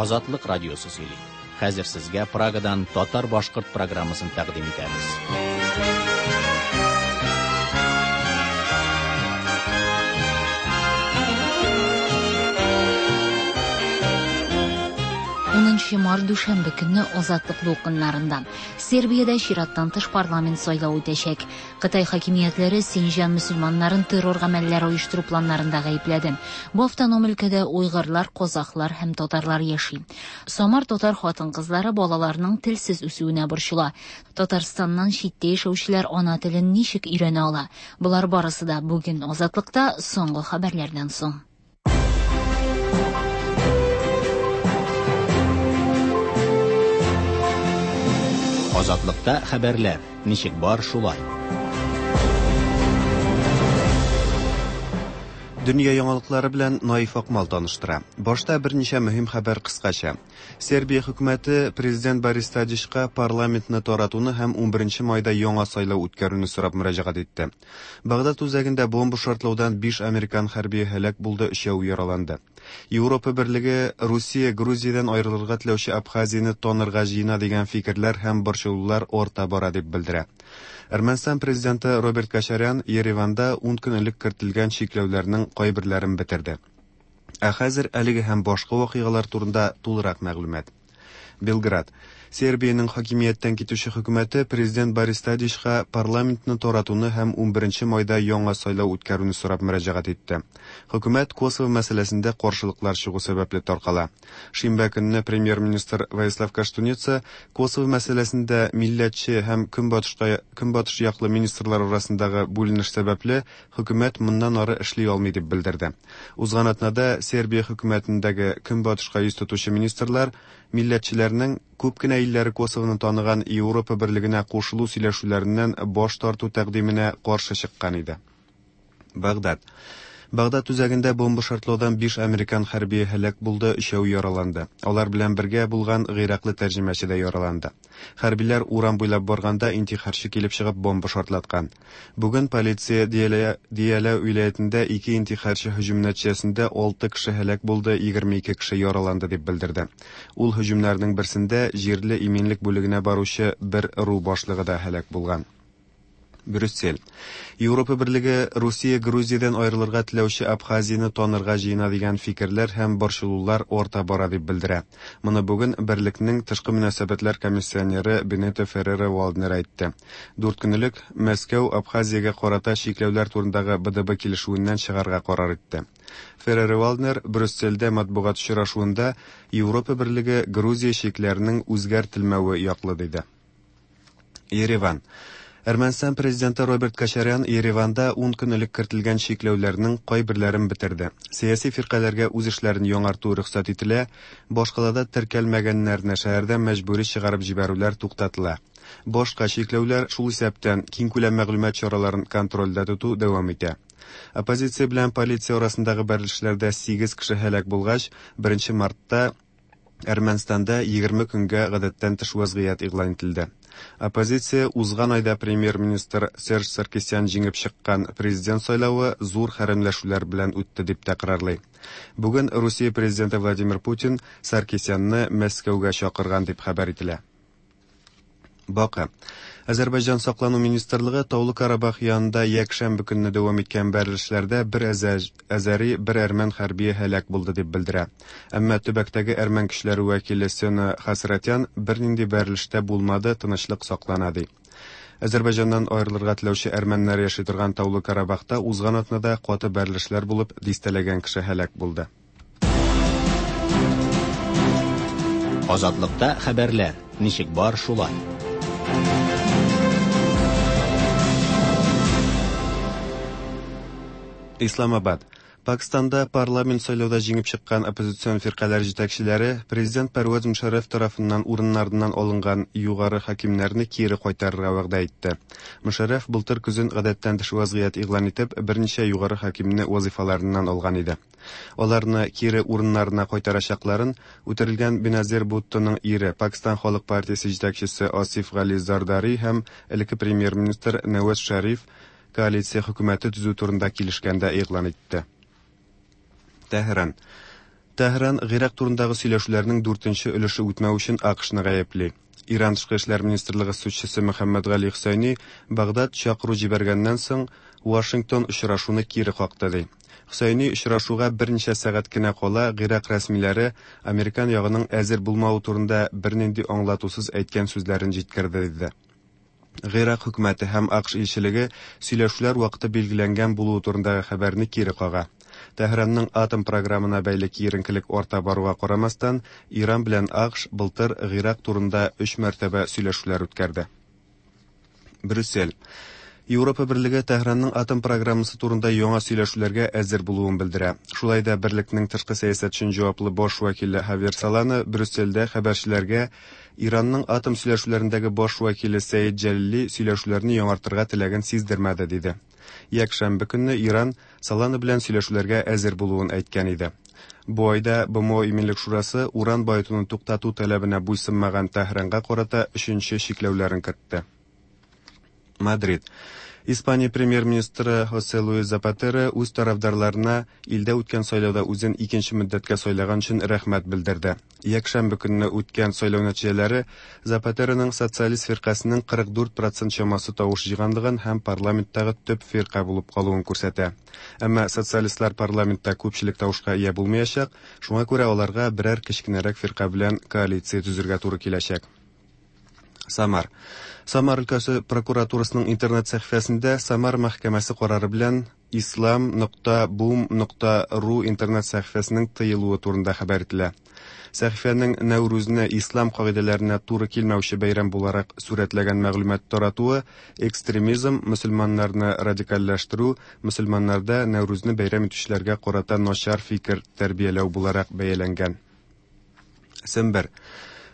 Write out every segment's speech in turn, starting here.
Азатлык радиосы сөйли. Хәзер сезгә Прагадан татар-башкорт программасын тәкъдим итәбез. Унынчы март дүшәмбе көнне Азатлык дулкыннарында Сербиядә чираттан тыш парламент сайлавы үтәчәк. Кытай хакимиятләре Синҗан мөселманнарын террор гамәлләре оештыру планнарында гаепләде. Бу автоном өлкәдә уйгырлар, казахлар һәм татарлар яши. Самар татар хатын-кызлары балаларның телсез үсүенә борчыла. Татарстаннан читтә яшәүчеләр ана телен ничек өйрәнә ала? Болар барысы да бүген Азатлыкта соңгы хәбәрләрдән соң. Азатлыкта хәбәрләр ничек бар шулай. Дөнья яңалыклары белән Наиф Акмал таныштыра. Башта берничә мөһим хәбәр кыскача. Сербия хөкүмәте президент Борис Тадичка парламентны таратуны һәм 11 майда яңа сайлау үткәрүне сорап мөрәҗәгать итте. Багдад үзәгендә бомба шартлаудан 5 американ хәрбие һәлак булды, өчәү яраланды. Европа берлеге Русия Грузиядән аерылырга теләүче Абхазияне танырга җыена дигән фикерләр һәм борчылулар арта бара дип белдерә. Әрмәнстан президенты Роберт Кочарян Ереванда 10 көн элек кертелгән чикләүләрнең кайберләрен бетерде. Ә хәзер әлеге һәм башка вакыйгалар турында тулырак мәгълүмат. Белград. Сербиянең хакимияттән китүче хөкүмәте президент Борис Тадичка парламентны таратуны һәм 11 майда яңа сайлау үткәрүне сорап мөрәҗәгать итте. Хөкүмәт Косово мәсьәләсендә каршылыклар чыгу сәбәпле таркала. Шимбә көнне премьер-министр Воислав Коштуница Косово мәсьәләсендә милләтче һәм көнбатышка көнбатыш яклы министрлар арасындагы бүленеш сәбәпле хөкүмәт моннан ары эшли алмый дип белдерде. Узган атнада Сербия хөкүмәтендәге көнбатышка йөз тотучы министрлар милләтчеләрнең күп кенә илләре Косовоны таныган Европа берлегенә кушылу сөйләшүләреннән баш тарту тәкъдименә каршы чыккан иде. Багдад. Багдад үзәгендә бомба шартлаудан 5 американ хәрбие һәлак булды, өчәү яраланды. Алар белән бергә булган гыйраклы тәрҗемәче дә яраланды. Хәрбиләр урам буйлап барганда интихарчы килеп чыгып бомба шартлаткан. Бүген полиция Диялә, Диялә вилаятендә ике интихарчы һөҗүм нәтиҗәсендә 6 кеше һәлак булды, 22 кеше яраланды дип белдерде. Ул һөҗүмнәрнең берсендә җирле иминлек бүлегенә баручы бер РУ башлыгы да һәлак булган. Брюссель. Европа берлеге Русия Грузиядән аерылырга теләүче Абхазияне танырга җыена дигән фикерләр һәм борчылулар арта бара дип белдерә. Моны бүген берлекнең тышкы мөнәсәбәтләр комиссионеры Бенето Феррера Валднер әйтте. Дүрт көн элек Мәскәү Абхазиягә карата чикләүләр турындагы БДБ килешүеннән чыгарга карар итте. Феррера Валднер Брюссельдә матбугат очрашуында Европа берлеге Грузия чикләренең үзгәртелмәве яклы диде. Ереван. Әрмәнстан президенты Роберт Кочарян Ереванда 10 көн элек кертелгән чикләүләрнең кайберләрен бетерде. Сәяси фиркаләргә үз эшләрен яңарту рөхсәт ителә, башкалада теркәлмәгәннәрне шәһәрдән мәҗбүри чыгарып җибәрүләр туктатыла. Башка чикләүләр, шул исәптән киңкүләм мәгълүмат чараларын контрольдә тоту дәвам итә. Оппозиция белән полиция арасындагы бәрелешләрдә 8 кеше һәлак булгач, 1 мартта Әрмәнстанда 20 көнгә гадәттән тыш вазгыять игълан ителде. Оппозиция узган айда премьер-министр Серж Саркисян җиңеп чыккан президент сайлавы зур хәрәмләшүләр белән үтте дип тәкрарлый. Бүген Русия президенты Владимир Путин Саркисянны Мәскәүгә чакырган дип хәбәр ителә. Бакы. Азәрбайҗан саклану министрлыгы Таулы Карабах янында якшәмбе көнне дәвам иткән бәрелешләрдә бер әзәри, бер әрмән хәрбие һәлак булды дип белдерә. Әмма төбәктәге әрмән көчләре вәкиле Сена Хасратян бернинди бәрелештә булмады, тынычлык саклана ди. Азәрбайҗаннан аерылырга теләүче әрмәннәр яши торган Таулы Карабахта узган атнада каты бәрелешләр булып, дистәләгән кеше һәлак булды. Азатлыкта хәбәрләр ничек бар шулай. Исламабад. Пакистанда парламент сайлауда җиңеп чыккан оппозицион фиркаләр җитәкчеләре президент Пәрвәз Мушарраф тарафыннан урыннарыннан алынган югары хакимнәрне кире кайтарырга вәгъдә итте. Мушарраф былтыр көзен гадәттән тыш вазгыять игълан итеп, берничә югары хакимне вазифаларыннан алган иде. Аларны кире урыннарына кайтарачакларын үтерелгән Беназир Буттоның ире, Пакистан халык партиясе җитәкчесе Асиф Гали Зардари һәм элекке премьер-министр Нәваз Шәриф коалиция хөкүмәте төзү турында килешкәндә игълан итте. Тәһран. Тәһран Гыйрак турындагы сөйләшүләрнең дүртенче өлеше үтмәү өчен АКШны гаепли. Иран тышкы эшләр министрлыгы сүзчесе Мөхәммәд Гали Хөсәйни Багдад чакыру җибәргәннән соң Вашингтон очрашуны кире какты ди. Хөсәйни очрашуга берничә сәгать кенә кала Гыйрак рәсмиләре американ ягының әзер булмавы турында бернинди аңлатусыз әйткән сүзләрен җиткерде диде. Гыйрак хөкүмәте һәм АКШ илчелеге сөйләшүләр вакыты билгеләнгән булуы турындагы хәбәрне кире кага. Тәһранның атом програмына бәйле киеренкелек арта баруга карамастан, Иран белән АКШ былтыр Гыйрак турында өч мәртәбә сөйләшүләр үткәрде. Брюссель. Европа Берлеге Тәһранның атом программасы турында яңа сөйләшүләргә әзер булуын белдерә. Шулай да берлекнең тышкы сәясәт өчен җаваплы баш вәкиле Хавьер Солана Брюссельдә хәбәрчеләргә Иранның атом сөйләшүләрендәге баш вәкиле Сәид Җәлили сөйләшүләрне яңартырга теләген сиздермәде, диде. Якшәмбе көнне Иран Солана белән сөйләшүләргә әзер булуын әйткән иде. Бу айда БМО Иминлек шурасы уран баетуны туктату таләбенә буйсынмаган Тәһранга карата өченче чикләүләрен кертте. Мадрид. Испания премьер-министры Хосе Луис Запатеро үз тарафдарларына илдә үткән сайлауда үзен икенче мөддәткә сайлаган өчен рәхмәт белдерде. Якшәмбе көнне үткән сайлау нәтиҗәләре Запатероның социалист фиркасының 44 процент чамасы тавыш җыйганлыгын һәм парламенттагы төп фирка булып калуын күрсәтә. Әмма социалистлар парламентта күпчелек тавышка ия булмаячак, шуңа күрә аларга берәр кечкенәрәк фирка белән коалиция төзергә туры киләчәк. Самар. Самар өлкәсе прокуратурасының интернет сәхифәсендә Самар мәхкәмәсе карары белән islam.boom.ru интернет сәхифәсенең тыелуы турында хәбәр ителә. Сәхифәнең Нәүрүзне ислам кагыйдәләренә туры килмәүче бәйрәм буларак сурәтләгән мәгълүмат таратуы экстремизм, мөселманнарны радикальләштерү, мөселманнарда Нәүрүзне бәйрәм итүчеләргә карата начар фикер тәрбияләү буларак бәяләнгән. Сембер.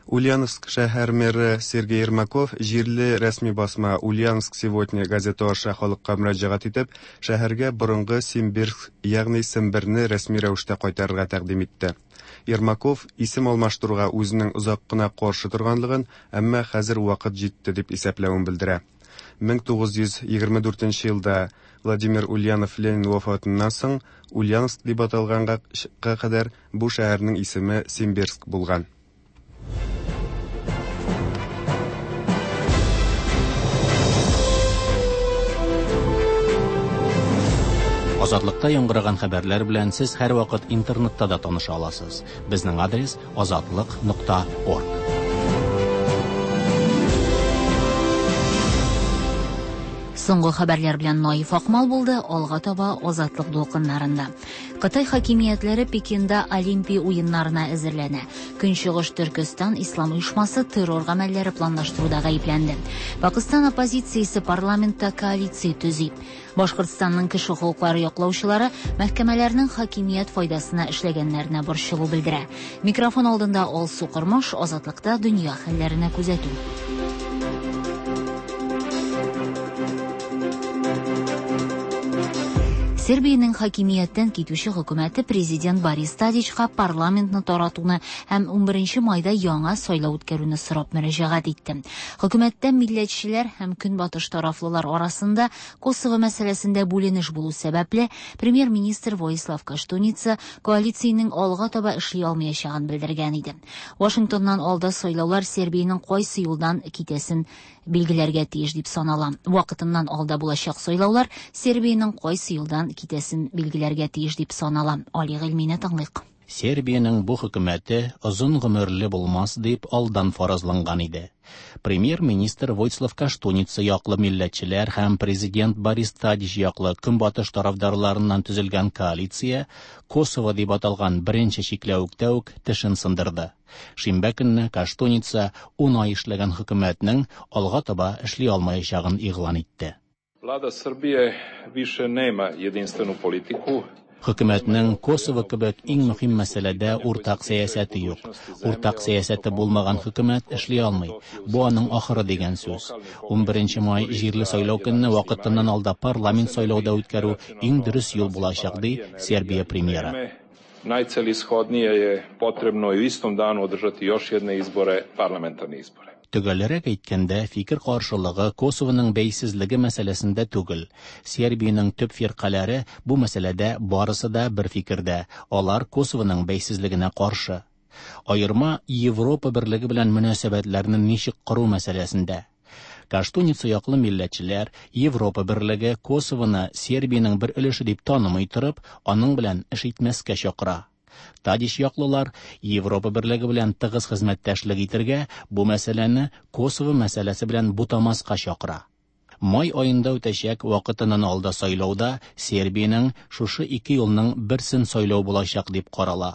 Ульяновск шәһәр мэры Сергей Ермаков җирле рәсми басма Ульяновск сегодня газеты аша халыкка мөрәҗәгать итеп, шәһәргә борынгы Симбирск, ягъни Семберне рәсми рәвештә кайтарырга тәкъдим итте. Ермаков исем алмаштыруга үзенең озак кына каршы торганлыгын, әмма хәзер вакыт җитте дип исәпләвен белдерә. 1924 елда Владимир Ульянов Ленин вафатыннан соң Ульяновск дип аталганга кадәр бу шәһәрнең исеме Симбирск булган. Азатлыкта яңгыраган хәбәрләр белән сез һәрвакыт интернетта да таныша аласыз. Безнең адрес азатлык.орг. Соңгы хәбәрләр белән Наиф Акмал булды, алга таба Азатлык дулкыннарында. Кытай хакимиятләре Пекинда Олимпия уеннарына әзерләнә. Көнчыгыш Төркестан ислам оешмасы террор гамәлләре планлаштыруда гаепләнде. Пакистан оппозициясе парламентта коалиция төзи. Башкортстанның кеше хокуклары яклаучылары мәхкәмәләрнең хакимият файдасына эшләгәннәренә борчылу белдерә. Микрофон алдында Алсу Кормаш, Азатлыкта дөнья хәлләренә күзәтү. Сербиянең хакимияттән китүче хөкүмәте президент Борис Тадичка парламентны таратуны һәм 11 майда яңа сайлау үткәрүне сорап мөрәҗәгать итте. Хөкүмәттә милләтчеләр һәм көнбатыш тарафлылар арасында Косово мәсьәләсендә бүленеш булу сәбәпле, премьер-министр Воислав Коштуница коалициянең алга таба эшли алмаячагын белдергән иде. Вашингтоннан алда сайлаулар Сербиянең кайсы юлдан китәсен билгеләргә тиеш дип санала. Вакытыннан алда булачак сайлаулар Сербиянең кайсы юлдан китәсен билгеләргә тиеш дип санала. Али Гыйльмине тыңлыйк. Сербиянең бу хөкүмәте озын гомерле булмас дип алдан фаразланган иде. Премьер-министр Войслав Коштуница яклы милләтчеләр һәм президент Борис Тадич яклы көнбатыш тарафдарларыннан төзелгән коалиция Косово дип аталган беренче чикләвектә үк тешен сындырды. Шимбә көнне Коштуница 10 ай эшләгән хөкүмәтнең алга таба эшли алмаячагын игълан итте. Vlada Srbije više nema jedinstvenu politiku. Хөкүмәтнең Косово кебек иң мөһим мәсьәләдә уртак сәясәте юк. Уртак сәясәте булмаган хөкүмәт эшли алмый. Бу аның ахыры дигән сүз. 11 май җирле сайлау көнне вакытыннан алда парламент сайлауда үткәрү иң дөрес юл булачак, ди Сербия премьеры. Najcelishodnije je potrebno i u istom danu održati još jedne izbore, parlamentarne izbore. Төгәлрәк әйткәндә, фикер каршылыгы Косовоның бәйсезлеге мәсьәләсендә түгел. Сербиянең төп фиркаләре бу мәсьәләдә барысы да бер фикердә, алар Косовоның бәйсезлегенә каршы. Аерма Европа берлеге белән мөнәсәбәтләрне ничек кору мәсьәләсендә. Каштуница яклы милләтчеләр Европа берлеге Косовоны Сербиянең бер өлеше дип танымый торып, аның белән эш итмәскә чакыра. Тадич яклылар Европа берлеге белән тыгыз хезмәттәшлек итергә, бу мәсьәләне Косово мәсьәләсе белән бутамаска чакыра. Май аенда үтәчәк вакытыннан алда сайлауда Сербиянең шушы ике юлның берсен сайлау булачак дип карала.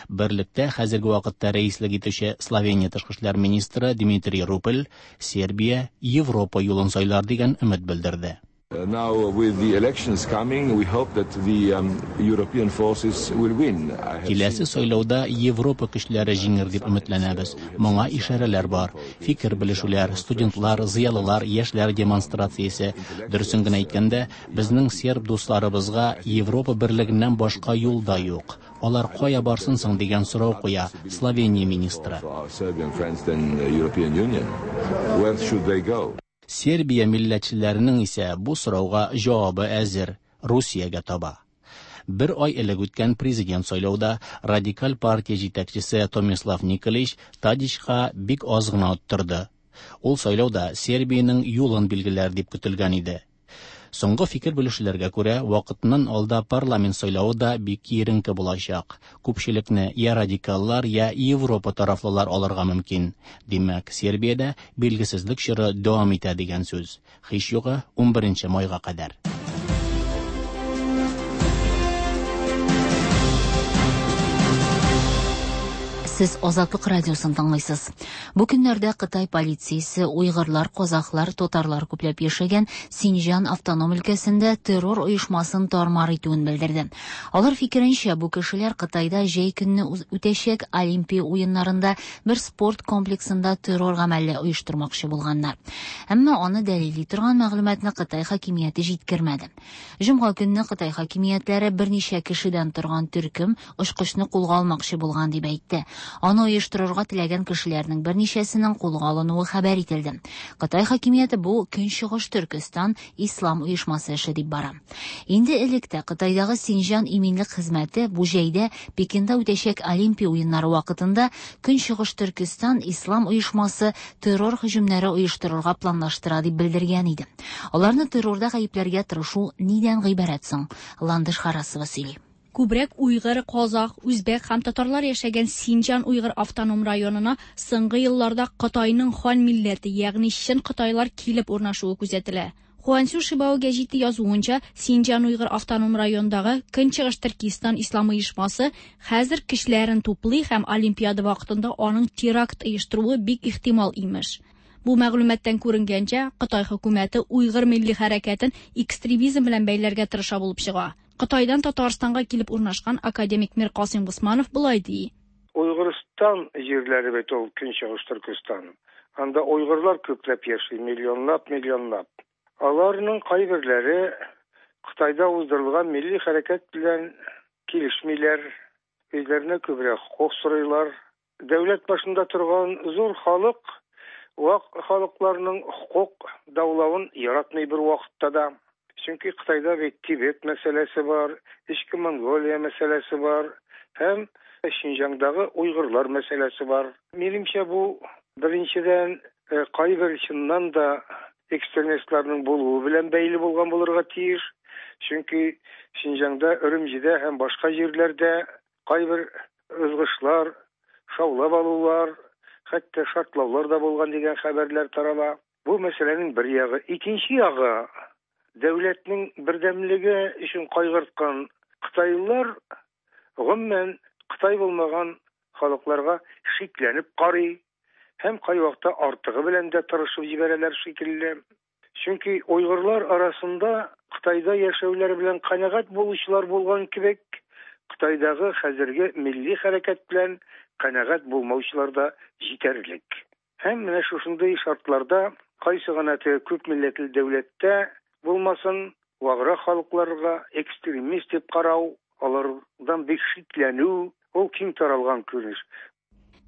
Берлектә хәзерге вакытта рәислек итүче Словения тышкы эшләр министры Дмитрий Рупель Сербия Европа юлын сайлар дигән өмет белдерде. Now with the elections coming, we hope that the European forces will win. Киләсе сайлауда Европа көчләре җиңер дип өметләнәбез. Моңа ишарәләр бар. Фикер белешүләр, студентлар, зыялылар, яшьләр демонстрациясе. Дөресен генә әйткәндә, безнең серб дусларыбызга Европа берлегеннән башка юл да юк. Алар кая барсын соң дигән сорау куя Словения министры. Where should they go? Сербия милләтчеләренең исә бу сорауга җавабы әзер Русиягә таба. Бер ай элек үткән президент сайлауда радикаль партия җитәкчесе Томислав Николич Тадичка бик аз гына оттырды. Ул сайлауда Сербиянең юлын билгеләр дип көтелгән иде. Соңгы фикер белешүләргә күрә, вакытыннан алда парламент сайлавы да бик киеренке булачак. Күпчелекне я радикаллар, я Европа тарафлылар алырга мөмкин. Димәк, Сербиядә билгесезлек чоры дәвам итә дигән сүз. Һич югы 11 майга кадәр. Сез Азатлык радиосын тыңлыйсыз. Бу көннәрдә Кытай полициясе уйгырлар, казахлар, татарлар күпләп яшәгән Синҗан автоном өлкәсендә террор оешмасын тармар итүен белдерде. Алар фикеренчә, бу кешеләр Кытайда җәй көнне үтәчәк Олимпия уеннарында бер спорт комплексында террор гамәле оештырмакчы булганнар. Әмма аны дәлилли торган мәгълүматны Кытай хакимияте җиткермәде. Җомга көнне Кытай хакимиятләре берничә кешедән торган төркем очкычны кулга алмакчы булган дип әйтте. Аны оештырырга теләгән кешеләрнең берничәсенең кулга алынуы хәбәр ителде. Кытай хакимияте бу Көнчыгыш Төркестан ислам оешмасы эше дип бара. Инде элек тә Кытайдагы Синҗан иминлек хезмәте бу җәйдә Пекинда үтәчәк Олимпия уеннары вакытында Көнчыгыш Төркестан ислам оешмасы террор һөҗүмнәре оештырырга планлаштыра дип белдергән иде. Аларны террорда гаепләргә тырышу нидән гыйбарәт соң? Ландыш Харасова сөйли. Күбрәк уйгыр, казах, үзбәк һәм татарлар яшәгән Синҗан уйгыр автоном районына соңгы елларда Кытайның хан милләте, ягъни чын кытайлар килеп урнашуы күзәтелә. Хуансю Шибао гәҗите язуынча, Синҗан уйгыр автоном районындагы Көнчыгыш Төркистан ислам оешмасы хәзер кешеләрен туплый һәм Олимпиада вакытында аның теракт оештыруы бик ихтимал имеш. Бу мәгълүматтан күренгәнчә, Кытай хөкүмәте уйгыр милли хәрәкәтен экстремизм белән бәйләргә тырыша булып чыга. Кытайдан Татарстанга килеп урнашкан академик Миркасыйм Госманов болай ди. Уйгырстан җирләре бит ул Көнчыгыш Төркестан. Анда уйгырлар күпләп яши, миллионлап, миллионлап. Аларның кайберләре Кытайда уздырылган милли хәрәкәт белән килешмиләр, үзләренә күбрәк хокук сорыйлар. Дәүләт башында торган зур халык вак халыкларның хокук даулавын яратмый бер вакытта да. Чөнки Кытайда бит Тибет мәсьәләсе бар, Эчке Монголия мәсьәләсе бар һәм Шинҗаңдагы уйгырлар мәсьәләсе бар. Минемчә, бу беренчедән кайбер чыннан да экстремистларның булуы белән бәйле булган булырга тиеш. Чөнки Шинҗаңда, Өрүмҗидә һәм башка җирләрдә кайбер ызгышлар, шаулап алулар, хәтта шартлаулар да булган дигән хәбәрләр тарала. Бу мәсьәләнең бер ягы. Икенче ягы дәүләтнең бердәмлеге өчен кайгырткан кытайлылар гомумән Кытай булмаган халыкларга шикләнеп карый һәм кайвакытта артыгы белән дә тырышып җибәрәләр шикелле. Чөнки уйгырлар арасында Кытайда яшәүләре белән канәгать булучылар булган кебек, Кытайдагы хәзерге милли хәрәкәт белән канәгать булмаучылар да җитәрлек. Һәм менә шушындый шартларда кайсы гына теге күп милләтле дәүләттә булмасын, ваграк халыкларга экстремист дип карау, алардан бик шикләнү, ул киң таралган күренеш.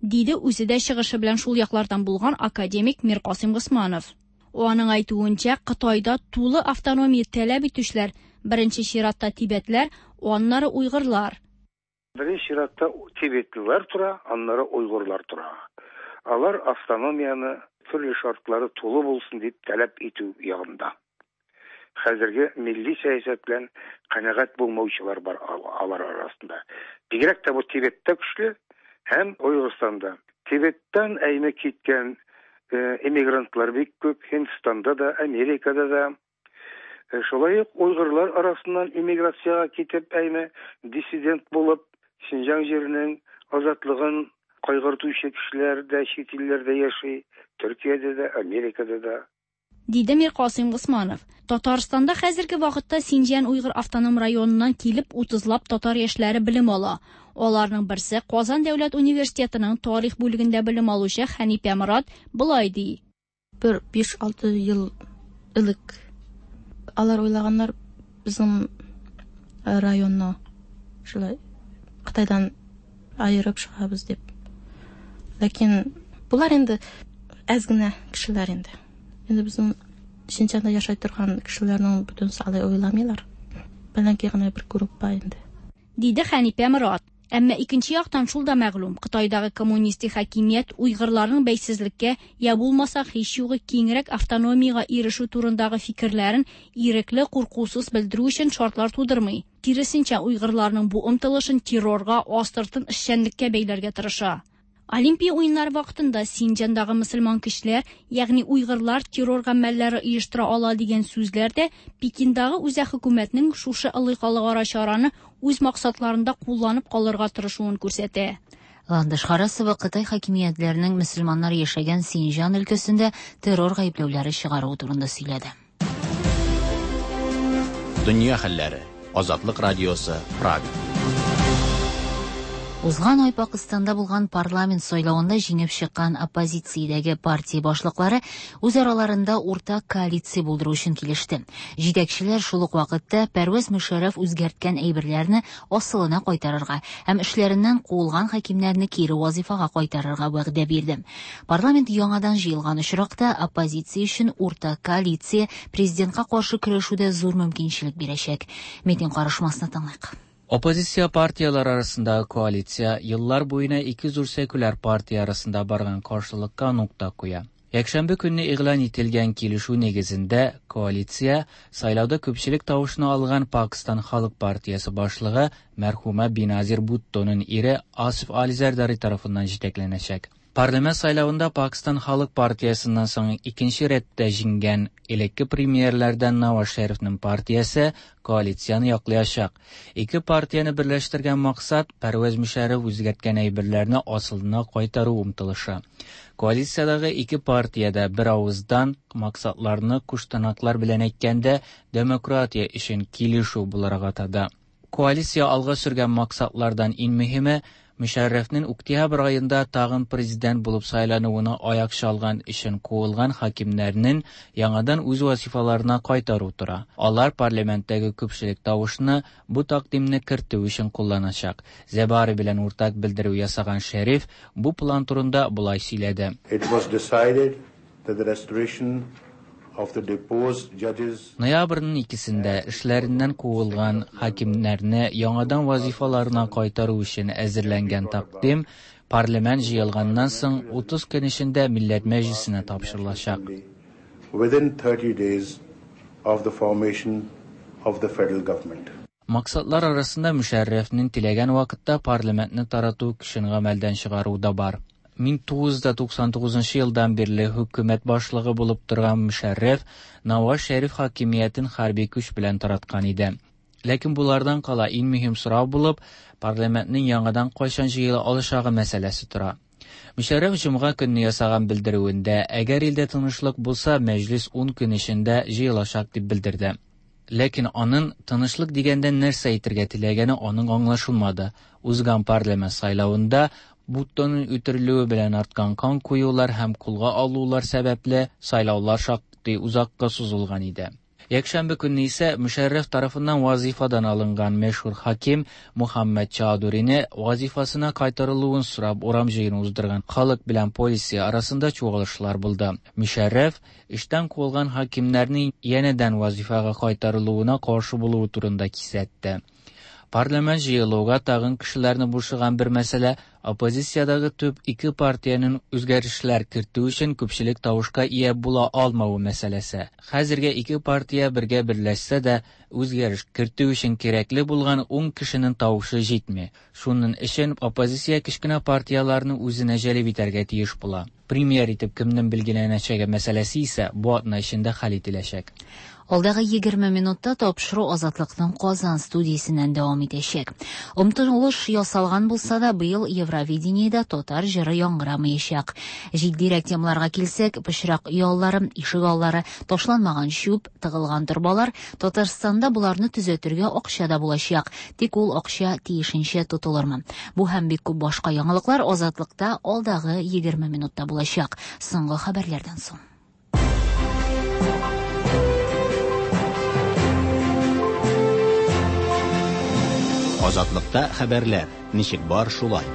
Диде үзе дә чыгышы белән шул яклардан булган академик Миркасыйм Госманов. Аның әйтүенчә, Кытайда тулы автономия таләп итүчеләр беренче чиратта тибетләр, аннары уйгырлар. Беренче чиратта тибетлылар тора, аннары уйгырлар тора. Алар автономияне төрле шартлары тулы булсын дип таләп итү ягында. Хәзерге милли сәясәт белән канәгать булмаучылар бар алар арасында. Бигрәк тә бу Тибеттә көчле һәм Уйгырстанда. Тибеттән әйме киткән эмигрантлар бик күп, Һиндстанда да, Америкада да. Шулай ук уйгырлар арасыннан эмиграциягә китеп, әйме диссидент булып, Синҗаң җиренең азатлыгын кайгыртучы кешеләр дә чит илләрдә яши, Төркиядә дә, Америкада да. Диде Миркасыйм Госманов. Татарстанда хәзерге вакытта Синҗан Уйгыр автоном районыннан килеп 30лап татар яшьләре белем ала. Аларның берсе Казан дәүләт университетының тарих бүлегендә белем алучы Хәнифә Морат болай ди. Бер 5-6 ел элек алар уйлаганнар безнең районны шулай Кытайдан аерып чыгабыз дип. Ләкин булар инде әз генә кешеләр инде. Инде безнең Синҗанда яшәй торган кешеләрнең бөтенесе алай уйламыйлар. Бәлки генә бер группа инде. Диде Хәнифә Морат. Әмма икенче яктан шул да мәгълүм, Кытайдагы коммунистик хакимият уйгырларның бәйсезлеккә я булмаса һич югы киңрәк автономиягә ирешү турындагы фикерләрен ирекле, куркусыз белдерү өчен шартлар тудырмый. Киресенчә, уйгырларның бу омтылышын террорга, астыртын эшчәнлеккә бәйләргә тырыша. Олимпия уеннары вакытында Синҗандагы мөселман кешеләр, ягъни уйгырлар террор гамәлләре оештыра ала дигән сүзләр дә Пекиндагы үзәк хөкүмәтнең шушы ылый халыкара чараны үз максатларында кулланып калырга тырышуын күрсәтә. Ландыш Харасова Кытай хакимиятләренең мөселманнар яшәгән Синҗан өлкәсендә террор гаепләүләре чыгаруы турында сөйләде. Дөнья хәлләре. Азатлык радиосы, Прага. Узган ай Пакыстанда булган парламент сайлавында җиңеп чыккан оппозициядәге партия башлыклары үз араларында уртак коалиция булдыру өчен килеште. Җитәкчеләр шул ук вакытта Пәрвәз Мөшәррәф үзгәрткән әйберләрне асылына кайтарырга һәм эшләреннән куылган хакимнәрне кире вазифага кайтарырга вәгъдә бирде. Парламент яңадан җыелган очракта оппозиция өчен уртак коалиция президентка каршы көрәшүдә зур мөмкинчелек бирәчәк. Митинг карышмасына тыңлыйк. Оппозиция партиялар арасындагы коалиция еллар буена ике зур секуляр партия арасында барган каршылыкка нокта куя. Якшәмбе көнне игълан ителгән килешү нигезендә коалиция сайлауда күпчелек тавышны алган Пакистан Халык партиясе башлыгы мәрхүмә Биназир Буттоның ире Асиф Али Зәрдари тарафыннан җитәкләнәчәк. Парламент сайлавында Пакистан Халык партиясеннән соң икенче рәттә җиңгән элекке премьерләрдән Наваз Шәрифнең партиясе коалицияне яклаячак. Ике партияне берләштергән максат Пәрвәз Мөшәррәф үзгәрткән әйберләрне асылына кайтару омтылышы. Коалициядәге ике партия дә бер авыздан максатларны куштанаклар белән әйткәндә демократия өчен килешү буларак атады. Коалиция алга сөргән максатлардан иң мөһиме Мөшәррәфнең октябрь айында тагын президент булып сайлануына аяк чалган өчен куылган хакимнәрнең яңадан үз вазифаларына кайтару тора. Алар парламенттагы күпчелек тавышны бу тәкъдимне кертү өчен кулланачак. Зәбари белән уртак белдерү ясаган Шәриф бу план турында болай сөйләде. It was decided that the restoration of the deposed judges Ноябрьнең икесендә эшләреннән куылган хакимнәрне яңадан вазифаларына кайтару өчен әзерләнгән тәкъдим парламент җыелганнан соң 30 көн эчендә Милләт Мәҗлисенә тапшырылачак. within 30 days of the formation of the federal government. Максатлар арасында Мөшәррәфнең теләгән вакытта парламентны тарату көчен гамәлдән чыгару да бар. 1999 елдан бирле хөкүмәт башлыгы булып торган Мөшәррәф Наваз Шәриф хакимиятен хәрби көч белән тараткан иде. Ләкин булардан кала иң мөһим сорау булып парламентның яңадан кайчан җыела алышагы мәсьәләсе тора. Мөшәррәф җомга көнне ясаган белдерүендә, әгәр илдә тынычлык булса, мәҗлис 10 көн эчендә җыелачак дип белдерде. Ләкин аның тынычлык дигәндә нәрсә әйтергә теләгәне аның аңлашылмады. Узган парламент сайлавында Буттоның үтерелүе белән арткан кан куюлар һәм кулга алулар сәбәпле сайлаулар шактый узакка сузылган иде. Якшәмбе көнне исә Мөшәррәф тарафыннан вазифадан алынган мәшһүр хаким Мухаммад Чаудурины вазифасына кайтарылуын сорап урам җыены уздырган халык белән полиция арасында чуалышлар булды. Мөшәррәф эштән куылган хакимнәрнең янәдән вазифага кайтарылуына каршы булуы турында кисәтте. Парламент җыелуга тагын кешеләрне борчыган бер мәсьәлә оппозициядәге төп ике партиянең үзгәрешләр кертү өчен күпчелек тавышка ия була алмавы мәсьәләсе. Хәзергә ике партия бергә берләшсә дә, үзгәреш кертү өчен кирәкле булган 10 кешенең тавышы җитми. Шуның өчен оппозиция кечкенә партияләрне үзенә җәлеп итәргә тиеш була. Премьер итеп кемнең билгеләнәчәге мәсьәләсе исә бу атна эчендә хәл ителәчәк. Алдагы 20 минутта тапшыру Азатлыкның Казан студиясеннән дәвам итәчәк. Омтылыш ясалган булса да, быел Евровидениедә татар җыры яңгырамаячак. Җитдирәк темаларга килсәк, пычрак өй аллары, ишек аллары, ташланмаган чүп, тыгылган торбалар, Татарстанда боларны төзәтергә акча да булачак. Тик ул акча тиешенчә тотылырмы? Бу һәм бик күп башка яңалыклар Азатлыкта алдагы 20 минутта булачак. Соңгы хәбәрләрдән соң. Азатлыкта хәбәрләр. Ничек бар шулай.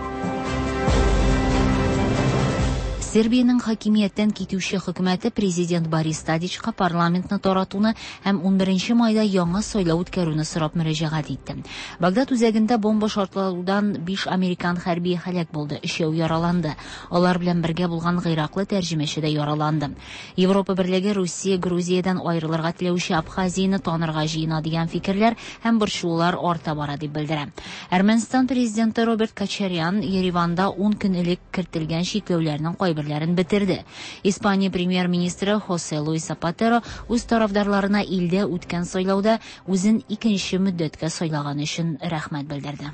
Сербиянең хакимияттән китүче хөкүмәте президент Борис Тадичка парламентны таратуны һәм 11 майда яңа сайлау үткәрүне сорап мөрәҗәгать итте. Багдад үзәгендә бомба шартлаудан 5 американ хәрбие һәлак булды, өчәү яраланды. Алар белән бергә булган гыйраклы тәрҗемәче дә яраланды. Европа берлеге Русия Грузиядән аерылырга теләүче Абхазияне танырга җыена дигән фикерләр һәм борчылулар арта бара дип белдерә. Әрмәнстан президенты Роберт Кочарян Ереванда 10 көн элек кертелгән чикләүләрнең кайберләрен бетерде. Испания премьер-министры Хосе Луис Сапатеро үз тарафдарларына илдә үткән сайлауда үзен икенче мөддәткә сайлаган өчен рәхмәт белдерде.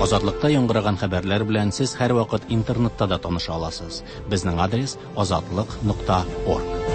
Азатлыкта яңгыраган хәбәрләр белән сез һәрвакыт интернетта да таныша аласыз. Безнең адрес azatliq.org.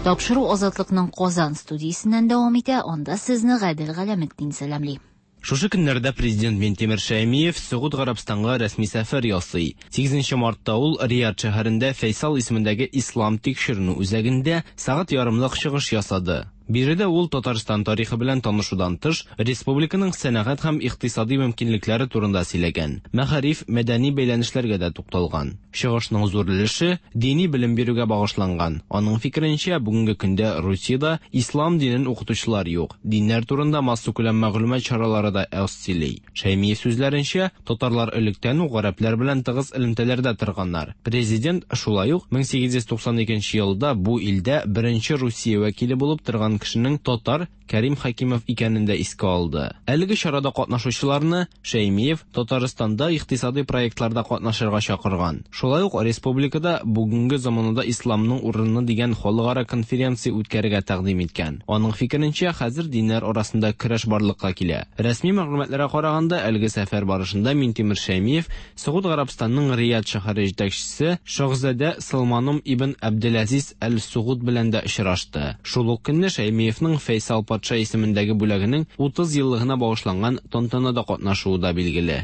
Тапшыру Азатлыкның Казан студиясеннән дәвам итә, анда сезне Гадел Галәметдин сәламли. Шушы көннәрдә президент Минтимер Шәймиев Согуд Гарәбстанга рәсми сәфәр ясый. 8 мартта ул Рияд шәһәрендә Фәйсал исемендәге Ислам тикшеренү үзәгендә сәгать ярымлык чыгыш ясады. Биредә ул Татарстан тарихы белән танышудан тыш, республиканың сәнәгать һәм икътисади мөмкинлекләре турында сөйләгән. Мәгариф, мәдәни бәйләнешләргә дә тукталган. Чыгышның зур өлеше дини белем бирүгә багышланган. Аның фикеренчә, бүгенге көндә Русиядә ислам динен укытучылар юк. Диннәр турында массакүләм мәгълүмат чаралары да аз сөйли. Шәймиев сүзләренчә, татарлар электән үк гарәпләр белән тыгыз элемтәләрдә торганнар. Президент шулай ук 1892 елда бу илдә беренче Русия вәкиле булып торган кешенең татар Кәрим Хәкимов икәнен дә искә алды. Әлеге чарада катнашучыларны Шәймиев Татарстанда икътисади проектларда катнашырга чакырган. Шулай ук республикада бүгенге заманада исламның урыны дигән халыкара конференция үткәрергә тәкъдим иткән. Аның фикеренчә, хәзер диннәр арасында көрәш барлыкка килә. Рәсми мәгълүматларга караганда, әлеге сәфәр барышында Минтимер Шәймиев Согуд Гарәбстанның Рияд шәһәре җитәкчесе Шаһзадә Салманом ибн Абделазиз әл-Сугуд белән дә очрашты. Шул ук көнне Шәймиевның Фәйсал патша исемендәге бүләгенең 30 еллыгына багышланган тантанада катнашуы да билгеле.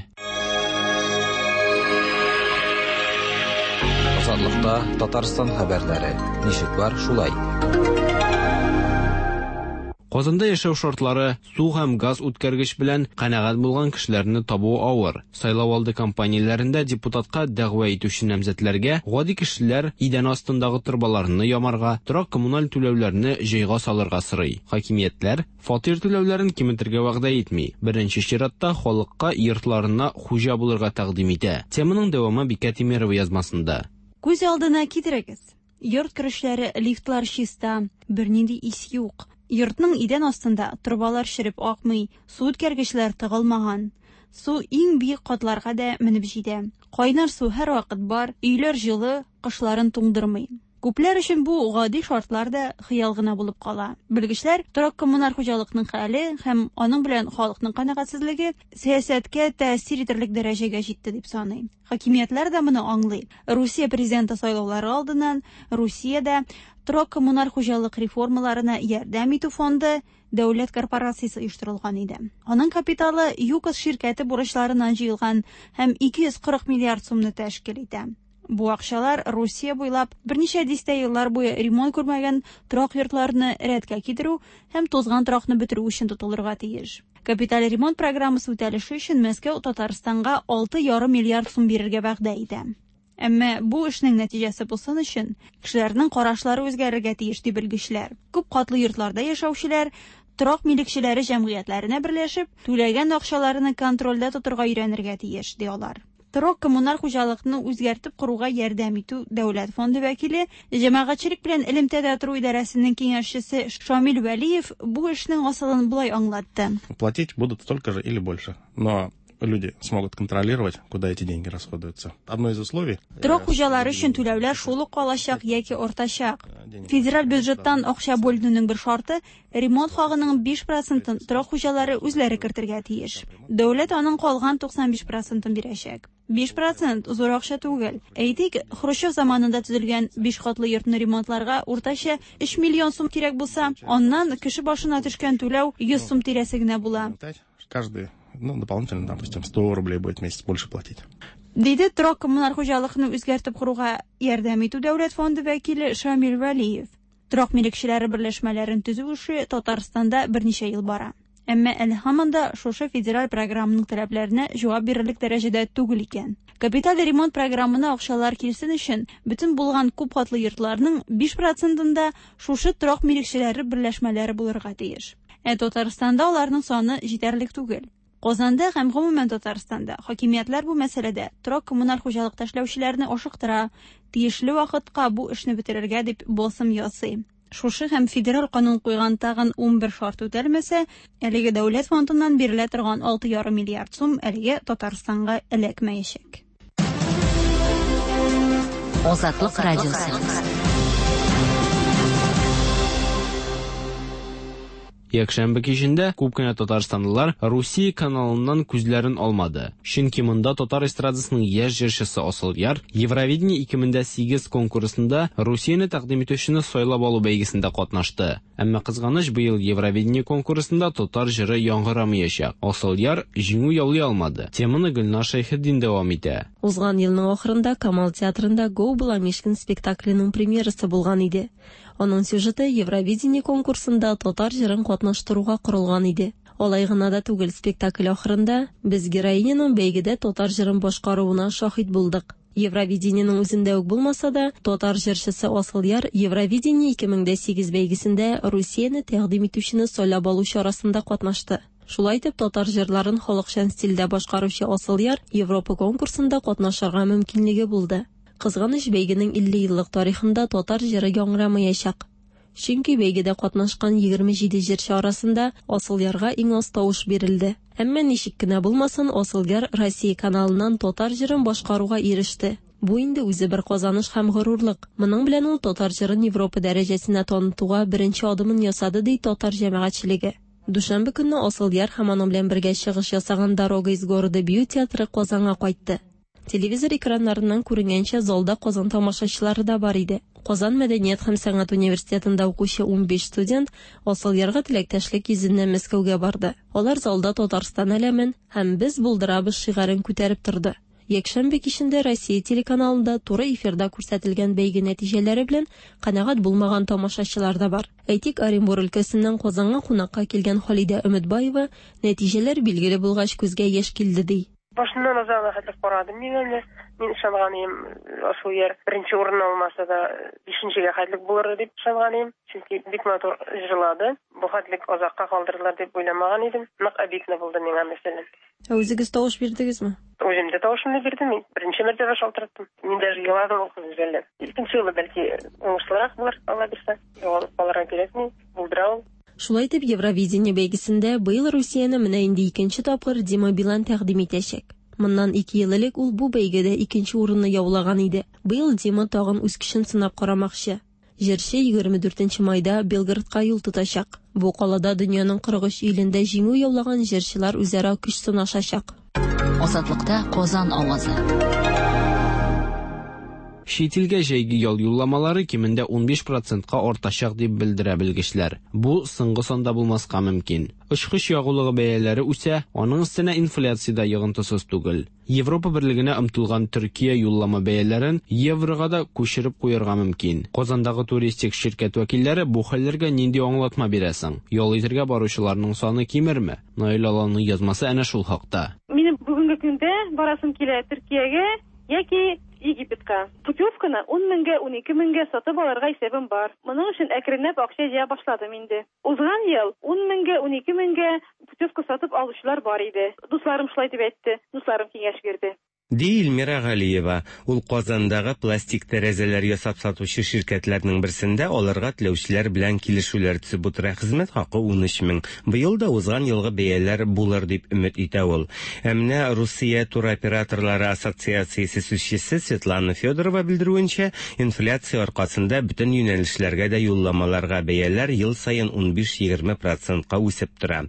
Азатлыкта Татарстан хәбәрләре. Ничек бар, шулай. Казанда яшәү шартлары, су һәм газ үткәргеч белән канәгать булган кешеләрне табу авыр. Сайлау алды кампанияләрендә депутатка дәгъва итүче намзәтләргә гади кешеләр идән астындагы торбаларны ямарга, торак коммуналь түләүләрне җайга салырга сорый. Хакимиятләр фатир түләүләрен киметергә вәгъдә итми. Беренче чиратта халыкка йортларына хуҗа булырга тәкъдим итә. Теманың дәвамы Бикә Тимирова язмасында. Күз алдына китерегез. Йорт керешләре, лифтлар чиста, бернинди ис юк. Йортның идән астында торбалар череп акмый, су үткәргечләр тыгылмаган. Су иң биек катларга да менеп җитә. Кайнар су һәрвакыт бар, өйләр җылы, кышларын туңдырмый. Күпләр өчен бу гади шартлар да хыял гына булып кала. Белгечләр торак-коммуналь хуҗалыкның хәле һәм аның белән халыкның канәгатьсезлеге сәясәткә тәэсир итерлек дәрәҗәгә җитте дип саный. Хакимиятләр дә моны аңлый. Русия президенты сайлаулары алдыннан Русиядә торак-коммуналь хуҗалык реформаларына ярдәм итү фонды дәүләт корпорациясе оештырылган иде. Аның капиталы ЮКОС ширкәте бурычларыннан җыелган һәм 240 миллиард сумны тәшкил итә. Бу акчалар Русия буйлап берничә дистә еллар буе ремонт күрмәгән торак йортларны рәткә китерү һәм тузган торакны бетерү өчен тотылырга тиеш. Капиталь ремонт программасы үтәлеше өчен Мәскәү Татарстанга 6,5 миллиард сум бирергә вәгъдә итә. Әмма бу эшнең нәтиҗәсе булсын өчен кешеләрнең карашлары үзгәрергә тиеш, ди белгечләр. Күп катлы йортларда яшәүчеләр торак милекчеләре җәмгыятьләренә берләшеп, түләгән акчаларны контрольдә тотырга өйрәнергә тиеш, ди алар. Торак-коммуналь хуҗалыкны үзгәртеп коруга ярдәм итү дәүләт фонды вәкиле, җәмәгатьчелек белән элемтәдә тору идарәсенең киңәшчесе Шамил Вәлиев бу эшнең асылын болай аңлатты. Платить будут столько же или больше, но люди смогут контролировать, куда эти деньги расходуются. Одно из условий... Торак хуҗалары өчен түләүләр шул ук калачак яки артачак. Федераль бюджеттан акча бүленүнең бер шарты ремонт хагының 5 процентын торак хуҗалары үзләре кертергә тиеш. Дәүләт аның калган 95 процентын бирәчәк. 5 процент зур акча түгел. Әйтик, Хрущев заманында төзелгән 5 катлы йортны ремонтларга уртача 3 миллион сум кирәк булса, аннан кеше башына төшкән түләү 100 сум тирәсе генә була. Каждый, ну, дополнительно, допустим, 100 рублей будет в месяц больше платить. Диде торак-коммуналь хуҗалыкны үзгәртеп коруга ярдәм итү дәүләт фонды вәкиле Шамил Вәлиев. Торак милекчеләре берләшмәләрен төзү эше Татарстанда берничә ел бара. Әмма әле һаман да шушы федераль программаның таләпләренә җавап бирерлек дәрәҗәдә түгел икән. Капиталь ремонт программына акчалар килсен өчен бөтен булган күп катлы йортларның 5 процентында шушы торак милекчеләре берләшмәләре булырга тиеш. Ә Татарстанда аларның саны җитәрлек түгел. Казанда һәм гомумән Татарстанда хакимиятләр бу мәсьәләдә торак-коммуналь хуҗалыкта эшләүчеләрне ашыктыра, тиешле вакытка бу эшне бетерергә дип басым ясый. Шушы һәм федераль канун куйган тагын 11 шарт үтәлмәсә, әлеге дәүләт фондыннан бирелә торган 6,5 миллиард сум әлегә Татарстанга эләкмәячәк. Азатлык радиосы. Якшәмбе кичендә күп кенә татарстанлылар Русия каналыннан күзләрен алмады. Чөнки монда татар эстрадасының яшь җырчысы Асылъяр Евровидение 2008 конкурсында Русияне тәкъдим итүчене сайлап алу бәйгесендә катнашты. Әмма кызганыч, быел Евровидение конкурсында татар җыры яңгырамаячак. Асылъяр җиңү яулый алмады. Теманы Гөлнар Шәйхетдин дәвам итә. Узган елның ахырында Камал театрында Го Баламишкин спектакленең премьерасы булган иде. Аның сюжеты Евровидение конкурсында татар җырын катнаштыруга корылган иде. Алай гына да түгел, спектакль ахырында без героиняның бәйгедә татар җырын башкаруына шаһит булдык. Евровидениенең үзендә үк булмаса да, татар җырчысы Асылъяр Евровидение 2008 бәйгесендә Русияне тәкъдим итүчене сайлап алу чарасында катнашты. Шулай итеп, татар җырларын халыкчан стильдә башкаручы Асылъяр Европа конкурсында катнашырга мөмкинлеге булды. Кызганыч, бәйгенең 50 еллык тарихында татар җыры яңгырамаячак. Чөнки бәйгедә катнашкан 27 җырчы арасында Асылъярга иң аз тавыш бирелде. Әмма ничек кенә булмасын, Асылъяр Россия каналыннан татар җырын башкаруга иреште. Бу инде үзе бер казаныш һәм горурлык. Моның белән ул татар җырын Европа дәрәҗәсенә танытуга беренче адымын ясады, ди татар җәмәгатьчелеге. Дүшәмбе көнне Асылъяр һәм аның белән бергә чыгыш ясаган Дорога из города бию театры Казанга кайтты. Телевизор экраннарыннан күренгәнчә, залда Казан тамашачылары да бар иде. Казан мәдәният һәм сәнгать университетында укучы 15 студент Асылъярга теләктәшлек йөзеннән Мәскәүгә барды. Алар залда Татарстан әләмен һәм без булдырабыз шигарен күтәреп торды. Якшәмбе кичендә Россия телеканалында туры эфирда күрсәтелгән бәйге нәтиҗәләре белән канәгать булмаган тамашачылар да бар. Әйтик, Оренбур өлкәсеннән Казанга кунакка килгән Халидә Өметбаева нәтиҗәләр билгеле булгач күзгә яшь килде ди. Башыннан азагына хәтле карадым мин әле. Мин ышанган идем, Асылъяр беренче урын алмаса да бишенчегә хәтлек булыр дип ышанган идем. Чөнки бик матур җырлады. Бу хәтлек азакка калдырырлар дип уйламаган идем. Нык обидно булды миңа, мәсәлән. Ә үзегез тавыш бирдегезме? Үзем дә тавышымны бирдем. Мин беренче мәртәбә шалтыраттым. Мин даже еладым ул кызны жәлләп. Икенче юлы бәлки уңышлырак булыр, Алла бирсә. Югалып калырга кирәкми. Булдыра ул. Шулай итеп, Евровидение бәйгесендә быел Русияне менә инде икенче тапкыр Дима Билан тәкъдим итәчәк. Моннан ике ел элек ул бу бәйгедә икенче урынны яулаган иде. Быел Дима тагын үз көчен сынап карамакчы. Җырчы 24 майда Белгородка юл тотачак. Бу калада дөньяның 43 илендә җиңү яулаган җырчылар үзара көч сынашачак. Азатлыкта Казан авазы. Чит илгә җәйге ял юлламалары кимендә 15 процентка артачак дип белдерә белгечләр. Бу соңгы санда булмаска мөмкин. Очкыч ягулыгы бәяләре үсә, аның өстенә инфляция дә йогынтысыз түгел. Европа берлегенә омтылган Төркия юллама бәяләрен еврога да күчереп куярга мөмкин. Казандагы туристик ширкәт вәкилләре бу хәлләргә нинди аңлатма бирә соң? Ял итергә баручыларның саны кимерме? Наил Аланның язмасы әнә шул хакта. Минем бүгенге көндә барасым килә Төркиягә яки Египетка. Путевканы ун меңгә, 12 меңгә сатып алырга исәбем бар. Моның өчен әкренләп акча җыя башладым инде. Узган ел ун меңгә, 12 меңгә путевка сатып алучылар бар иде. Дусларым шулай дип әйтте, дусларым киңәш бирде. Ди Эльмира Галиева. Ул Казандагы пластик тәрәзәләр ясап сатучы ширкәтләрнең берсендә алырга теләүчеләр белән килешүләр төзеп утыра. Хезмәт хакы 13 мең. Быел да узган елгы бәяләр булыр дип өмет итә ул. Ә менә Русия туроператорлары ассоциациясе сүзчесе Светлана Федорова белдерүенчә, инфляция аркасында бөтен юнәлешләргә дә юлламаларга бәяләр ел саен 15-20 процентка үсеп тора.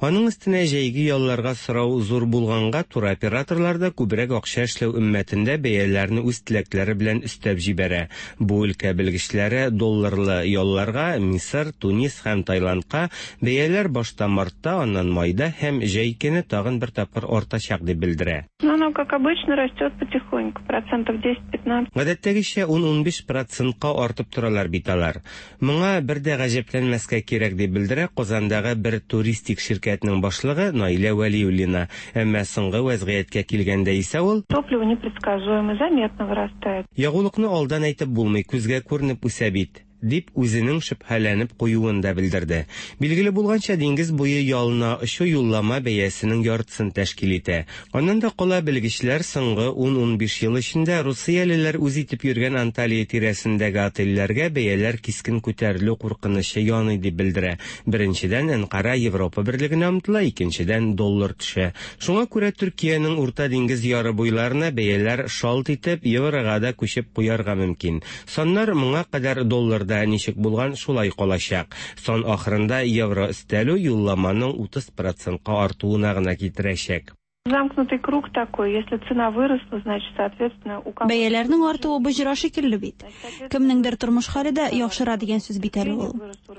Аның өстенә җәйге ялларга сорау зур булганга туроператорлар да күбрәк акча эшләү өммәтендә бәяләрне үз теләкләре белән өстәп җибәрә. Бу өлкә белгечләре долларлы ялларга Мисыр, Тунис һәм Таиландка бәяләр башта мартта, аннан майда һәм җәй көне тагын бер тапкыр артачак дип белдерә. Ну, оно, как обычно, растет потихоньку, процентов 10-15. Гадәттәгечә 10-15 процентка артып торалар бит алар. Моңа бер дә гаҗәпләнмәскә кирәк, дип белдерә Казандагы бер туристик ширкәтнең башлыгы Наилә Вәлиуллина. Әмма соңгы вәзгыятькә килгәндә исә ул Топливо непредсказуемо, заметно вырастает. Ягулыкны алдан әйтеп булмый, күзгә күренеп үсә бит, дип үзенең шөбһәләнеп куюын да белдерде. Билгеле булганча, диңгез буе ялына очу юллама бәясенең яртысын тәшкил итә. Аннан да кала белгечләр соңгы 10-15 ел эчендә русиялеләр үз итеп йөргән Анталия тирәсендәге отельләргә бәяләр кискен күтәрелү куркынычы яный дип белдерә. Беренчедән, Әнкара Европа берлегенә омтыла, икенчедән, доллар төшә. Шуңа күрә Төркиянең Урта диңгез яры буйларына бәяләр шалт итеп еврога да күчеп куярга мөмкин. Саннар моңа кадәр долларда ничек булган, шулай калачак. Сан ахырында евро өстәлү юлламаның 30 процентка артуына гына китерәчәк. Замкнутый круг такой. Если цена выросла, значит, соответственно, у кого... Бәяләрнең артуы боҗра шикелле бит. Кемнеңдер тормыш хәле дә яхшыра дигән сүз бит әле ул.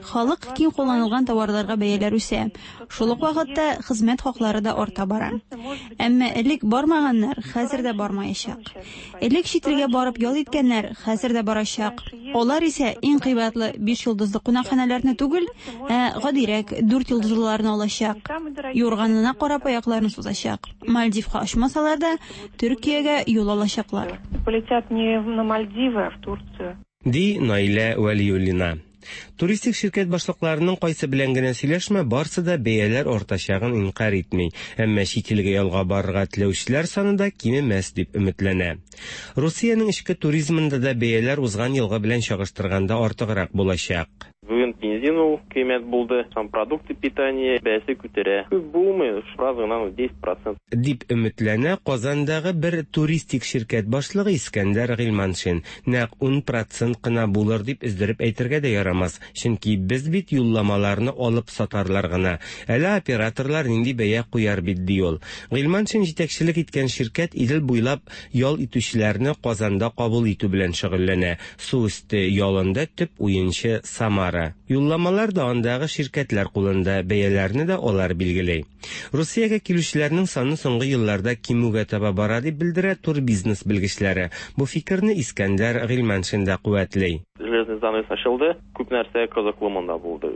Халык киң кулланылган товарларга бәяләр үсә. Шул ук вакытта хезмәт хаклары да арта бара. Әмма элек бармаганнар хәзер дә бармаячак. Элек чит илгә барып ял иткәннәр хәзер дә барачак. Алар исә иң кыйбатлы биш йолдызлы кунакханәләрне түгел, ә гадирәк дүрт йолдызлыларны алачак. Юрганына карап аякларын сузачак. Мальдивка очмасалар да, Төркиягә юл алачаклар. Полетят не на Мальдивы, а в Турцию. Ди Наилә Вәлиуллина. Туристик ширкәт башлыкларының кайсы белән генә сөйләшмә, барсы да бәяләр артачагын инкарь итми. Әмма чит илгә ялга барырга теләүчеләр саны да кимемәс дип өметләнә. Русиянең эчке туризмында да бәяләр узган елгы белән чагыштырганда артыграк булачак. Бүген бензин ул кыйммәт булды, һәм продукты питания бәясе күтәрә. Күп булмый, бераз гына 10%. Дип өметләнә Казандагы бер туристик ширкәт башлыгы Искәндәр Гыйльманшин. Нәкъ 10 процент кына булыр дип өздереп әйтергә дә ярамас, чөнки без бит юлламаларны алып сатарлар гына. Әле операторлар нинди бәя куяр бит, ди ул. Гыйльманшин җитәкчелек иткән ширкәт Идел буйлап ял итүчеләрне Казанда кабул итү белән шөгыльләнә. Су өсте ялында төп уенчы Самара. Юлламалар да андагы ширкәтләр кулында, бәяләрне дә алар билгели. Русиягә килүчеләрнең саны соңгы елларда кимүгә таба бара дип белдерә турбизнес белгечләре. Бу фикерне Искәндәр Гыйльманшин да куәтли. Железный занавес ачылды, күп нәрсә кызыклы монда булды.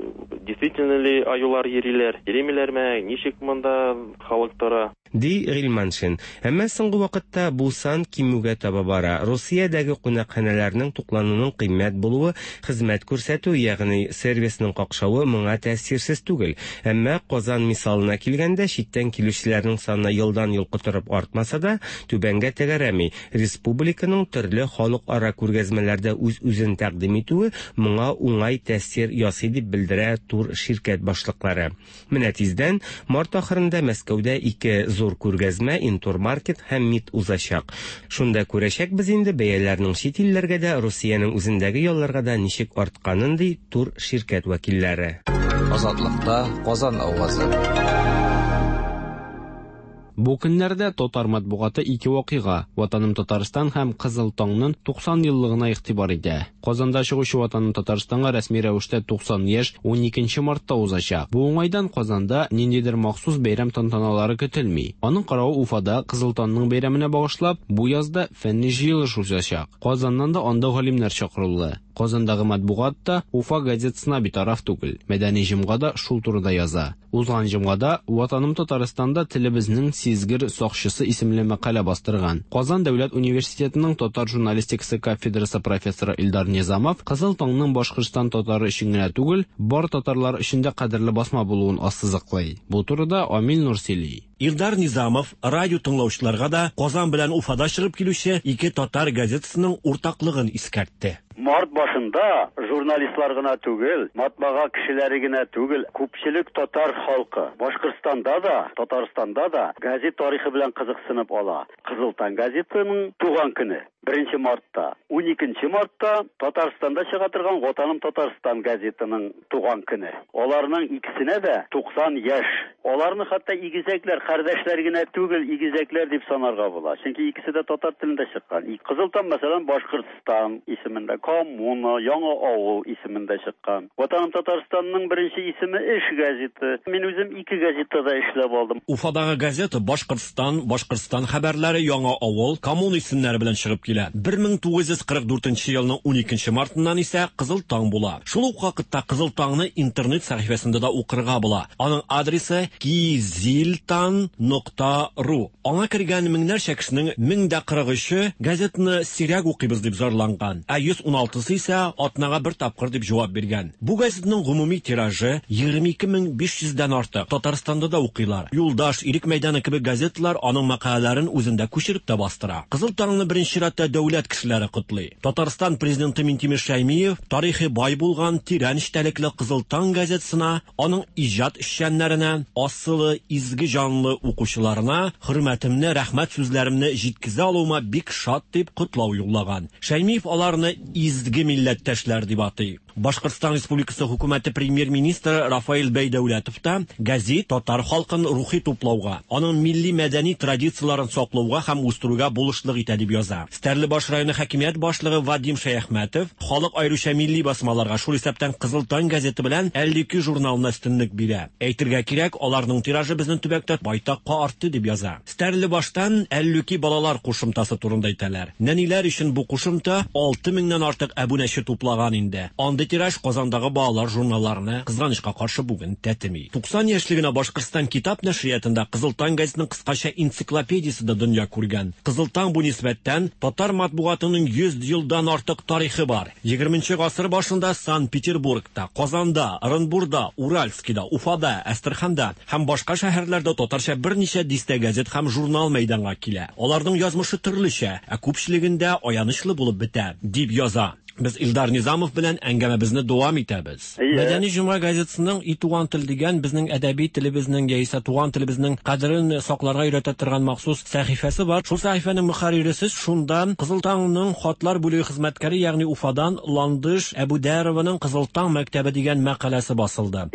Действительно ли аюлар йөриләр, йөримиләрме, ничек монда халык тора? Ди Гыйльманшин. Әмма соңгы вакытта бу сан кимүгә таба бара. Русиядәге кунакханәләрнең туклануның кыйммәт булуы, хезмәт күрсәтү, ягъни сервисның какшавы моңа тәэсирсез түгел. Әмма Казан мисалына килгәндә, читтән килүчеләрнең саны елдан-ел котырып артмаса да, түбәнгә тәгәрәми. Республиканың төрле халыкара күргәзмәләрдә үз-үзен тәкъдим итүе моңа уңай тәэсир ясый дип белдерә тур ширкәт башлыклары. Менә тиздән март ахырында Мәскәүдә ике Зур күргәзмә, Интурмаркет һәм МИД узачак. Шунда күрәчәкбез инде бәяләрнең чит илләргә дә, Русиянең үзендәге ялларга да ничек артканын, ди тур ширкәт вәкилләре. Азатлыкта Казан авазы. Бу көннәрдә татар матбугаты ике вакыйга, Ватаным Татарстан һәм Кызыл таңның 90 еллыгына игътибар итә. Казанда чыгучы Ватаным Татарстанга рәсми рәвештә 90 яшь 12 мартта узачак. Бу уңайдан Казанда ниндидер махсус бәйрәм тантаналары көтелми. Аның каравы Уфада Кызыл таңның бәйрәменә багышлап, бу язда фәнни җыелыш узачак. Казаннан да анда галимнәр чакырулы. Казандагы матбугат та Уфа газетасына битараф түгел. Мәдәни җомга да шул турыда яза. Узган җомгада Ватаным Татарстанда телебезнең сизгер сакчысы исемле мәкалә бастырган. Казан дәүләт университетының татар журналистикасы кафедрасы профессоры Илдар Низамов Кызыл таңның Башкортстан татары өчен генә түгел, бар татарлар өчен дә кадерле басма булуын ассызыклый. Бу турыда Амил Нур сөйли. Илдар Низамов радио тыңлаучыларга да Казан белән Уфада чыгып килүче ике татар газетасының уртаклыгын искәртте. Март башында журналистлар гына түгел, матбага кешеләре генә түгел, күпчелек татар халкы Башкортстанда да, Татарстанда да газет тарихы белән кызыксынып ала. Кызыл таң газетының туган көне 1 мартта, 12 мартта Татарстанда чыга торган Ватаным Татарстан газетының туган көне. Аларның икесенә дә 90 яшь. Аларны хәтта игезәкләр, кардәшләр генә түгел, игезәкләр дип санарга була. Чөнки икесе дә татар телендә чыккан. Кызыл таң, мәсәлән, Башкортстан исемендә, Коммуна, Яңа авыл исемендә чыккан. Ватаным Татарстанның беренче исеме Эш газеты. Мин үзем ике газетта да эшләп алдым. Уфадагы газета Башкортстан, Башкортстан хәбәрләре, Яңа авыл, Коммуна исемнәре белән чыгып килә. 1944 елның 12 мартыннан исә Кызыл таң була. Шул ук вакытта Кызыл таңны интернет сәхифәсендә дә укырга була. Аның адресы kiziltan.ru. Аңа кергән меңнәрчә кешенең 1043-е газетаны сирәк укыйбыз дип зарланган, ә 116-сы исә атнага бер тапкыр дип җавап биргән. Бу газетның гомуми тиражы 22500 дән артык. Татарстанда да укыйлар. Юлдаш, Ирек мәйданы кебек газеталар аның мәкаләләрен үзендә күчереп тә бастыра. Кызыл таңны беренче чиратта дәүләт кешеләре котлый. Татарстан президенты Минтимер Шәймиев тарихи бай булган тирән эчтәлекле Кызыл таң газетасына, аның иҗат эшчәннәренә, асылы, изге җанлы укучыларына хөрмәтемне, рәхмәт сүзләремне җиткезә алуыма бик шат дип котлау юллаган. Шәймиев аларны изге милләттәшләр дип атый. Башкортстан Республикасы хөкүмәте премьер-министры Рафаэль Бәйдәүләтов та газет татар халкын рухи туплауга, аның милли мәдәни традицияләрен саклауга һәм үстерүгә булышлык итә дип яза. Стәрлебаш районы хакимият башлыгы Вадим Шәяхмәтов халык аеруча милли басмаларга, шул исәптән Кызыл таң газеты белән 52 журналына өстенлек бирә. Әйтергә кирәк, аларның тиражы безнең төбәктә байтакка артты дип яза. Стәрлебаштан 52 балалар кушымтасы турында әйтәләр. Нәниләр өчен бу кушымта 6000-нән артык әбүнәче туплаган инде. Андый тираж Казандагы балалар журналларына кызганычка каршы бүген тәтеми. 90 яшьлегенә Башкортстан китап нәшриятында Кызыл таң газетының кыскача энциклопедиясе дә дөнья күргән. Кызыл таң бу нисбәттән татар матбугатының 100 елдан артык тарихы бар. 20 гасыр башында Санкт-Петербургта, Казанда, Оренбурда, Уральскида, Уфада, Әстерханда һәм башка шәһәрләрдә татарча берничә дистә газет һәм журнал мәйданга килә. Аларның язмышы төрлечә, ә күпчелегендә аянычлы булып бетә, дип яза. Без Илдар Низамов белән әңгәмәбезне дәвам итәбез. Мәдәни җомга газетасының И туган тел дигән безнең әдәби телебезнең яисә туган телебезнең кадерен сакларга өйрәтә торган махсус сәхифәсе бар. Шул сәхифәнең мөхәррире сез, шунда Кызыл таңның хатлар бүлеге хезмәткәре, ягъни Уфадан Ландыш Әбүдәрованың Кызыл таң мәктәбе дигән мәкаләсе басылды.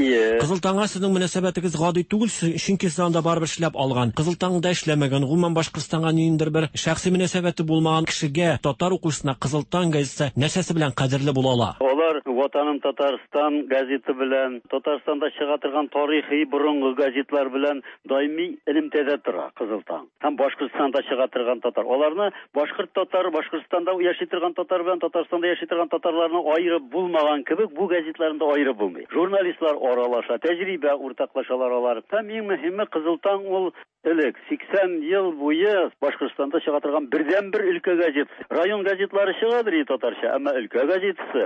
Кызыл таңга сезнең мөнәсәбәтегез гади түгел, чөнки сез анда барыбер эшләп алган. Кызыл таңда эшләмәгән, гомумән Башкортстанга ниндидер бер шәхси мөнәсәбәте булмаган кешегә, татар укучысына Кызыл таң газетасы нәрсәсе белән кадерле була ала? Алар Ватаным Татарстан газеты белән, Татарстанда чыга торган тарихи борынгы газетлар белән даими элемтәдә тора Кызыл таң. Һәм Башкортстанда чыга торган татар. Аларны башкорт татар, Башкортстанда яши торган татар белән Татарстанда яши торган татарларны аерып булмаган кебек, бу газетларны да аерып булмый. Журналистлар аралаша, тәҗрибә уртаклашалар алар. Һәм иң мөһиме Кызыл таң ул элек 80 ел буе Башкортстанда чыга торган бердәнбер өлкә газетасы. Район газетлары чыгадыр и татарча, әмма өлкә газетасы,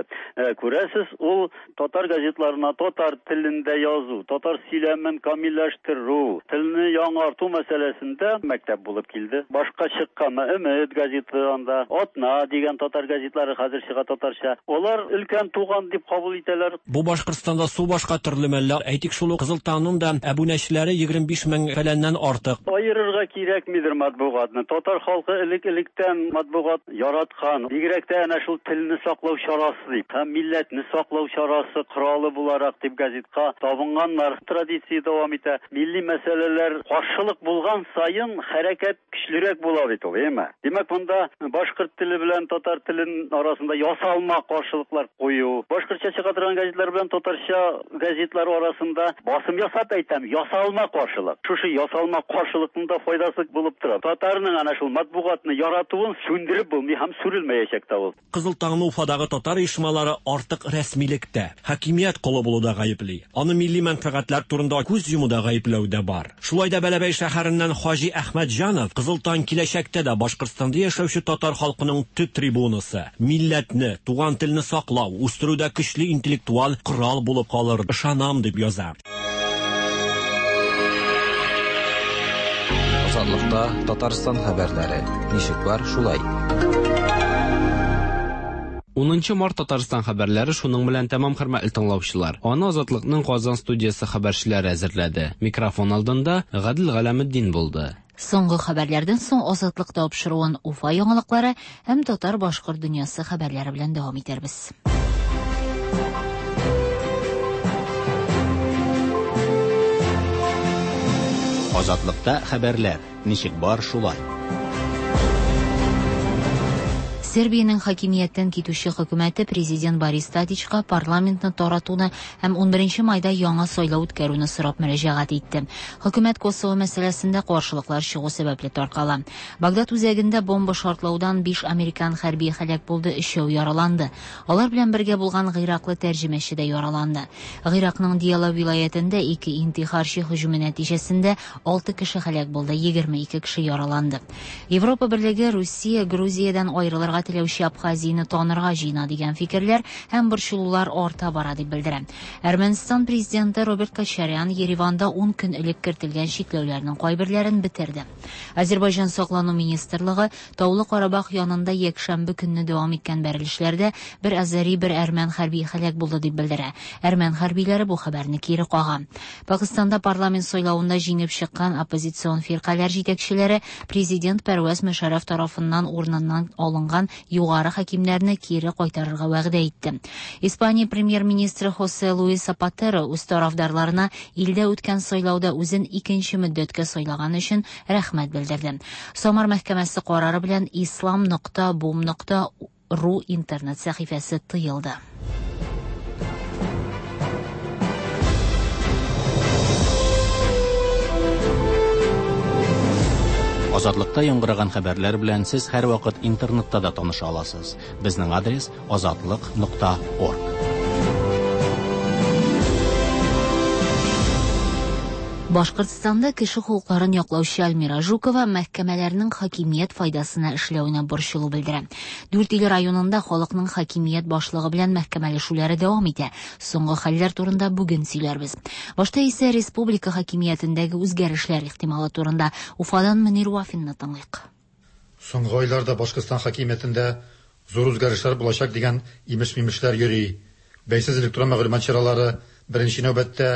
күрәсез, ул татар газетларына татар телендә язу, татар сөйләмен камилләштерү, телне яңарту мәсьәләсендә мәктәп булып килде. Башка чыккан Өмет газеты анда, Атна дигән татар газетлары хәзер чыга татарча. Алар өлкән туган дип кабул итәләр. Бу Башкортстанда су башка төрле мәллә. Әйтик, шул ук Кызыл таңның да әбүнәчеләре 25 мең фәләннән артык. артык. Аерырга кирәкмидер матбугатны. Татар халкы элек-электән матбугат яраткан. Бигрәк тә әнә шул телне саклау чарасы дип һәм милләтне саклау чарасы, коралы буларак дип газетка табынганнар. Традиция дәвам итә. Милли мәсьәләләр каршылык булган саен хәрәкәт көчлерәк була бит ул, әйеме? Димәк, монда башкорт теле белән татар телен арасында ясалма каршылыклар кую, башкортча чыга торган газетлар белән татарча газетлар арасында басым ясап әйтәм, ясалма каршылык. Шушы ясалма каршылыкның да файдасы булып тора. Татарның әнә шул матбугатны яратуын сүндереп булмый һәм сүрелмәячәк тә ул. Кызыл таңны Уфадагы татар оешмалары артык рәсмилектә, хакимият колы булуда гаепли. Аны милли мәнфәгатьләр турында күз йомуда гаепләү дә бар. Шулай да Бәләбәй шәһәреннән Хаҗи Әхмәтҗанов Кызыл таң киләчәктә дә Башкортстанда яшәүче татар халкының төп трибунасы, милләтне, туган телне саклау, үстерүдә көчле интеллектуаль корал булып калыр, ышанам, дип яза. Азатлыкта Татарстан хәбәрләре. Ничек бар, шулай. 10 март Татарстан хәбәрләре шуның белән тәмам, хөрмәтле тыңлаучылар. Аны Азатлыкның Казан студиясе хәбәрчеләре әзерләде. Микрофон алдында Гадел Галәметдин булды. Соңгы хәбәрләрдән соң Азатлык тапшыруын Уфа яңалыклары һәм татар-башкорт дөньясы хәбәрләре белән дәвам итәрбез. Азатлыкта хәбәрләр. Ничек бар, шулай. Сербиянең хакимияттән китүче хөкүмәте президент Борис Тадичка парламентны таратуны һәм 11 майда яңа сайлау үткәрүне сорап мөрәҗәгать итте. Хөкүмәт Косово мәсьәләсендә каршылыклар чыгу сәбәпле таркала. Багдад үзәгендә бомба шартлаудан 5 американ хәрбие һәлак булды, өчәү яраланды. Алар белән бергә булган гыйраклы тәрҗемәче дә яраланды. Гыйракның Дияла вилаятендә ике интихарчы һөҗүме нәтиҗәсендә 6 кеше һәлак булды, 22 кеше яраланды. Европа Берлеге Русия Грузиядән аерылырга теләүче Абхазияне танырга җыена дигән фикерләр һәм борчылулар арта бара дип белдерә. Әрмәнстан президенты Роберт Кочарян Ереванда 10 көн элек кертелгән чикләүләрнең кайберләрен бетерде. Азербайҗан саклану министрлыгы Таулы Карабах янында якшәмбе көнне дәвам иткән бәрелешләрдә бер азәри, бер әрмән хәрби һәлак булды дип белдерә. Әрмән хәрбиләре бу хәбәрне кире кага. Пакистанда парламент сайлавында җиңеп чыккан оппозицион фиркаләр җитәкчеләре президент Пәрвәз Мөшәррәф тарафыннан урыныннан алынган югары хакимнәрне кире кайтарырга вәгъдә итте. Испания премьер-министры Хосе Луис Сапатеро үз тарафдарларына илдә үткән сайлауда үзен икенче мөддәткә сайлаган өчен рәхмәт белдерде. Самар мәхкәмәсе карары белән islam.bum.ru интернет сәхифәсе тыелды. Азатлыкта яңгыраган хәбәрләр белән сез һәрвакыт интернетта да таныша аласыз. Безнең адрес azatliq.org. Башкортстанда кеше хокукларын яклаучы Альмира Жукова мәхкәмәләрнең хакимият файдасына эшләвенә борчылу белдерә. Дүртөйле районында халыкның хакимият башлыгы белән мәхкәмәләшүләре дәвам итә. Соңгы хәлләр турында бүген сөйләрбез. Башта исә республика хакимиятендәге үзгәрешләр ихтималы турында Уфадан Мөнир Вафинны тыңлыйк. Соңгы айларда Башкортстан хакимиятендә зур үзгәрешләр булачак дигән имеш-мимешләр йөри. Бәйсез электрон мәгълүмат чаралары беренче нәүбәттә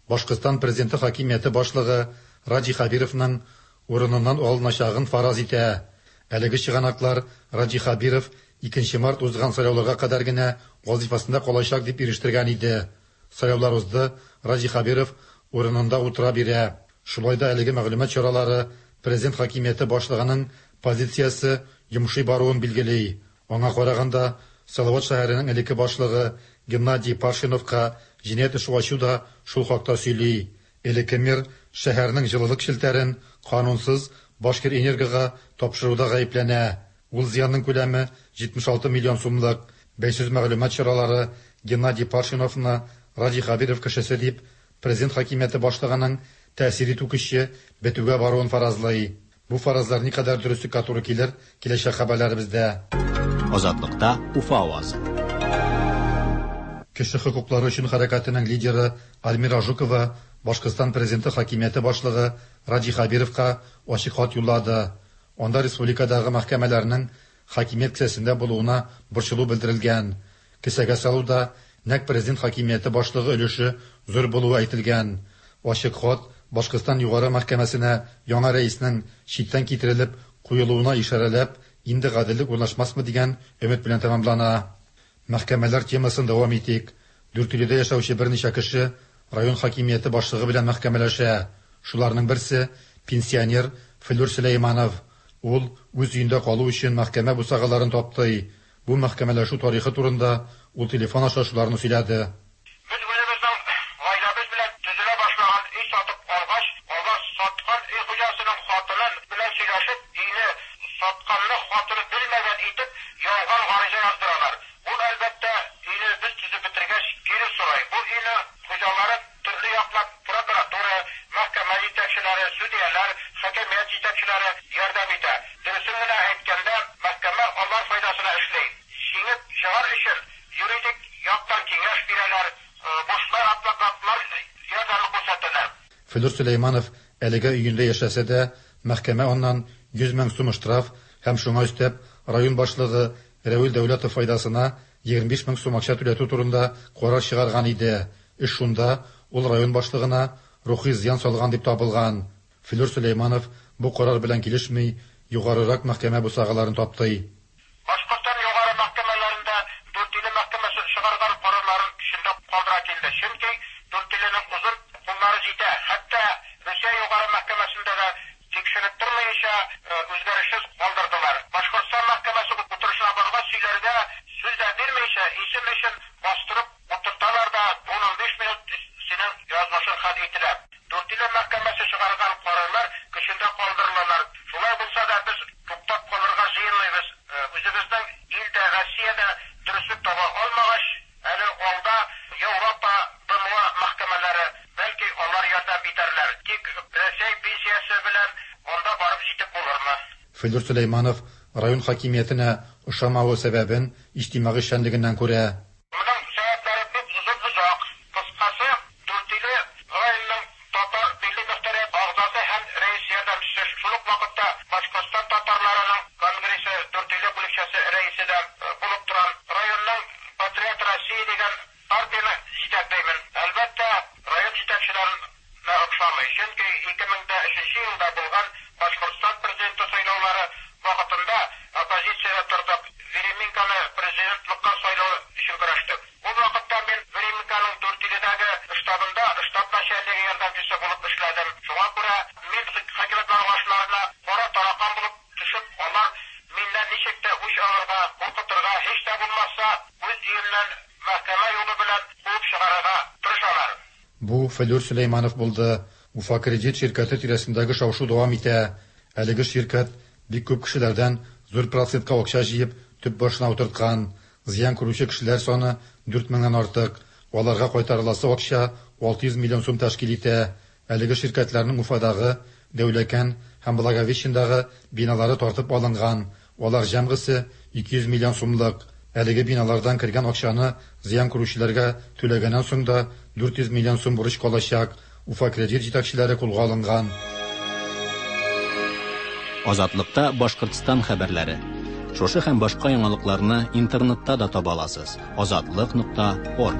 Башкортстан президенты хакимияте башлыгы Радий Хәбировның урыныннан алыначагын фараз итә. Әлеге чыганаклар Радий Хәбиров 2 март узган сайлауларга кадәр генә вазифасында калачак дип ирештергән иде. Сайлаулар узды, Радий Хәбиров урынында утыра бирә. Шулай да әлеге мәгълүмат чаралары президент хакимияте башлыгының позициясе йомшый баруын билгели. Аңа караганда, Салават шәһәренең элекке башлыгы Геннадий Паршиновка җинаять эше ачу да шул хакта сөйли. Элекке мэр шәһәрнең җылылык челтәрен канунсыз Башкир-Энергога тапшыруда гаепләнә. Ул зыянның күләме 76 миллион сумлык. Бәйсез мәгълүмат чаралары Геннадий Паршиновны Радий Хәбиров кешесе дип президент хакимияте башлыгының тәэсир итү көче бетүгә баруын фаразлый. Бу фаразлар никадәр дөреслеккә туры килер, киләчәк хәбәрләребездә. Азатлыкта Уфа авазы. Кеше хокуклары өчен хәрәкәтенең лидеры Альмира Жукова Башкортстан президенты хакимияте башлыгы Радий Хәбировка ачык хат юллады. Анда республикадагы мәхкәмәләрнең хакимият кесәсендә булуына борчылу белдерелгән. Кесәгә салуда нәкъ президент хакимияте башлыгы өлеше зур булуы әйтелгән. Ачык хат Башкортстан Югары мәхкәмәсенә яңа рәиснең читтән китерелеп куелуына ишарәләп, инде гаделлек урнашмасмы дигән өмет белән тәмамлана. Мәхкәмәләр темасын дәвам итик. Дүртөйледә яшәүче берничә кеше район хакимияте башлыгы белән мәхкәмәләшә. Шуларның берсе, пенсионер Флүр Сөләйманов. Ул үз өендә калу өчен мәхкәмә бусагаларын таптый. Бу мәхкәмәләшү тарихы турында ул телефон аша шуларны сөйләде. Без үзебезнең гаиләбез белән төзелә башлаган өй сатып алгач, алар саткан өй хуҗасының хатыны белән сөйләшеп, өйне сатканны хатыны белмәгән итеп, ялган гариза яздыралар. Ул, әлбәттә, өйне без төзеп бетергәч, кире сорый. Бу өйне хуҗалары төрле яклап прокуратура, мәхкәмә җитәкчеләре, судьялар, хакимият җитәкчеләре ярдәм итә. Дөресен генә әйткәндә, мәхкәмә алар файдасына эшли. Җиңеп чыгар өчен юридик яктан киңәш бирәләр, бушлай адвокатлар ярдәме күрсәтәләр. Флүр Сөләйманов әлегә өендә яшәсә дә, мәхкәмә аннан 100 мең сум штраф һәм шуңа өстәп район башлыгы Рәвил Дәүләтов файдасына 25 мең сум акча түләтү турында карар чыгарган иде. Эш шунда, ул район башлыгына рухи зыян салган дип табылган. Флүр Сөләйманов бу карар белән килешми, югарырак мәхкәмә бусагаларын таптый. Башкортстан Югары мәхкәмәләрендә Дүртөйле мәхкәмәсе чыгарган карарларын көчендә калдыра килде. Чөнки Дүртөйленең озын куллары җитә. Хәтта Русия Югары мәхкәмәсендә дә тикшереп тормыйча, үзгәрешсез калдырдылар. Башкортстан мәхкәмәсе утырышына баргач, сөйләргә сүз дә бирмичә, исем өчен бастырып утырталар да, ун-унбиш минут синең язмышың хәл ителә. Дүртөйле мәхкәмәсе чыгарган карарлар көчендә калдырылалар. Шулай булса да, без туктап калырга җыенмыйбыз. Үзебезнең илдә, Россиядә дөреслек таба алмагач, әле алда Европа, БМО мәхкәмәләре, бәлки алар ярдәм итәрләр. Тик Рәсәй пенсиясе белән анда барып җитеп булырмы? Флүр Сөләйманов район хакимиятенә ошамавы сәбәбен иҗтимагый эшчәнлегеннән күрә. Моның сәбәпләре бик озын-озак. Кыскасы, Дүртөйле районының татар милли мөхтәрият әгъзасы һәм рәис ярдәмчесе, шул ук вакытта Башкортстан татарларының конгрессы Дүртөйле бүлекчәсе рәисе дә булып торам. Районның Патриот России дигән партияне җитәклимен. Әлбәттә, район җитәкчеләренә охшамый. Чөнки 2003 елда булган Башкортстан президенты сайлаулары вакытында оппозициядә тордык, Веременконы президентлыкка сайлау өчен көрәштек. Ул вакытта мин Веременконың Дүртөйледәге штабында штаб начальнигы ярдәмчесе булып эшләдем. Шуңа күрә мин хакимият карашларына кара таракан булып төшеп, алар миннән ничек тә үч алырга, куркытырга, һич тә булмаса, үз өемнән мәхкәмә юлы белән куып чыгарырга тырышалар. Бу Флүр Сөләйманов булды. Уфа Кредит ширкәте тирәсендәге шау-шу дәвам итә. Әлеге ширкәт бик күп кешеләрдән зур процентка акча җыеп, төп башына утырткан. Зыян күрүче кешеләр саны 4 меңнән артык. Аларга кайтарыласы акча 600 миллион сум тәшкил итә. Әлеге ширкәтләрнең Уфадагы, Дәүләкән һәм Благовещендагы биналары тартып алынган. Алар җәмгысе 200 миллион сумлык. Әлеге биналардан кергән акчаны зыян күрүчеләргә түләгәннән соң да 400 миллион сум бурыч калачак. Уфа Кредит җитәкчеләре кулга алынган. Азатлыкта Башкортстан хәбәрләре. Шушы һәм башка яңалыкларны интернетта да таба аласыз. Азатлык.орг.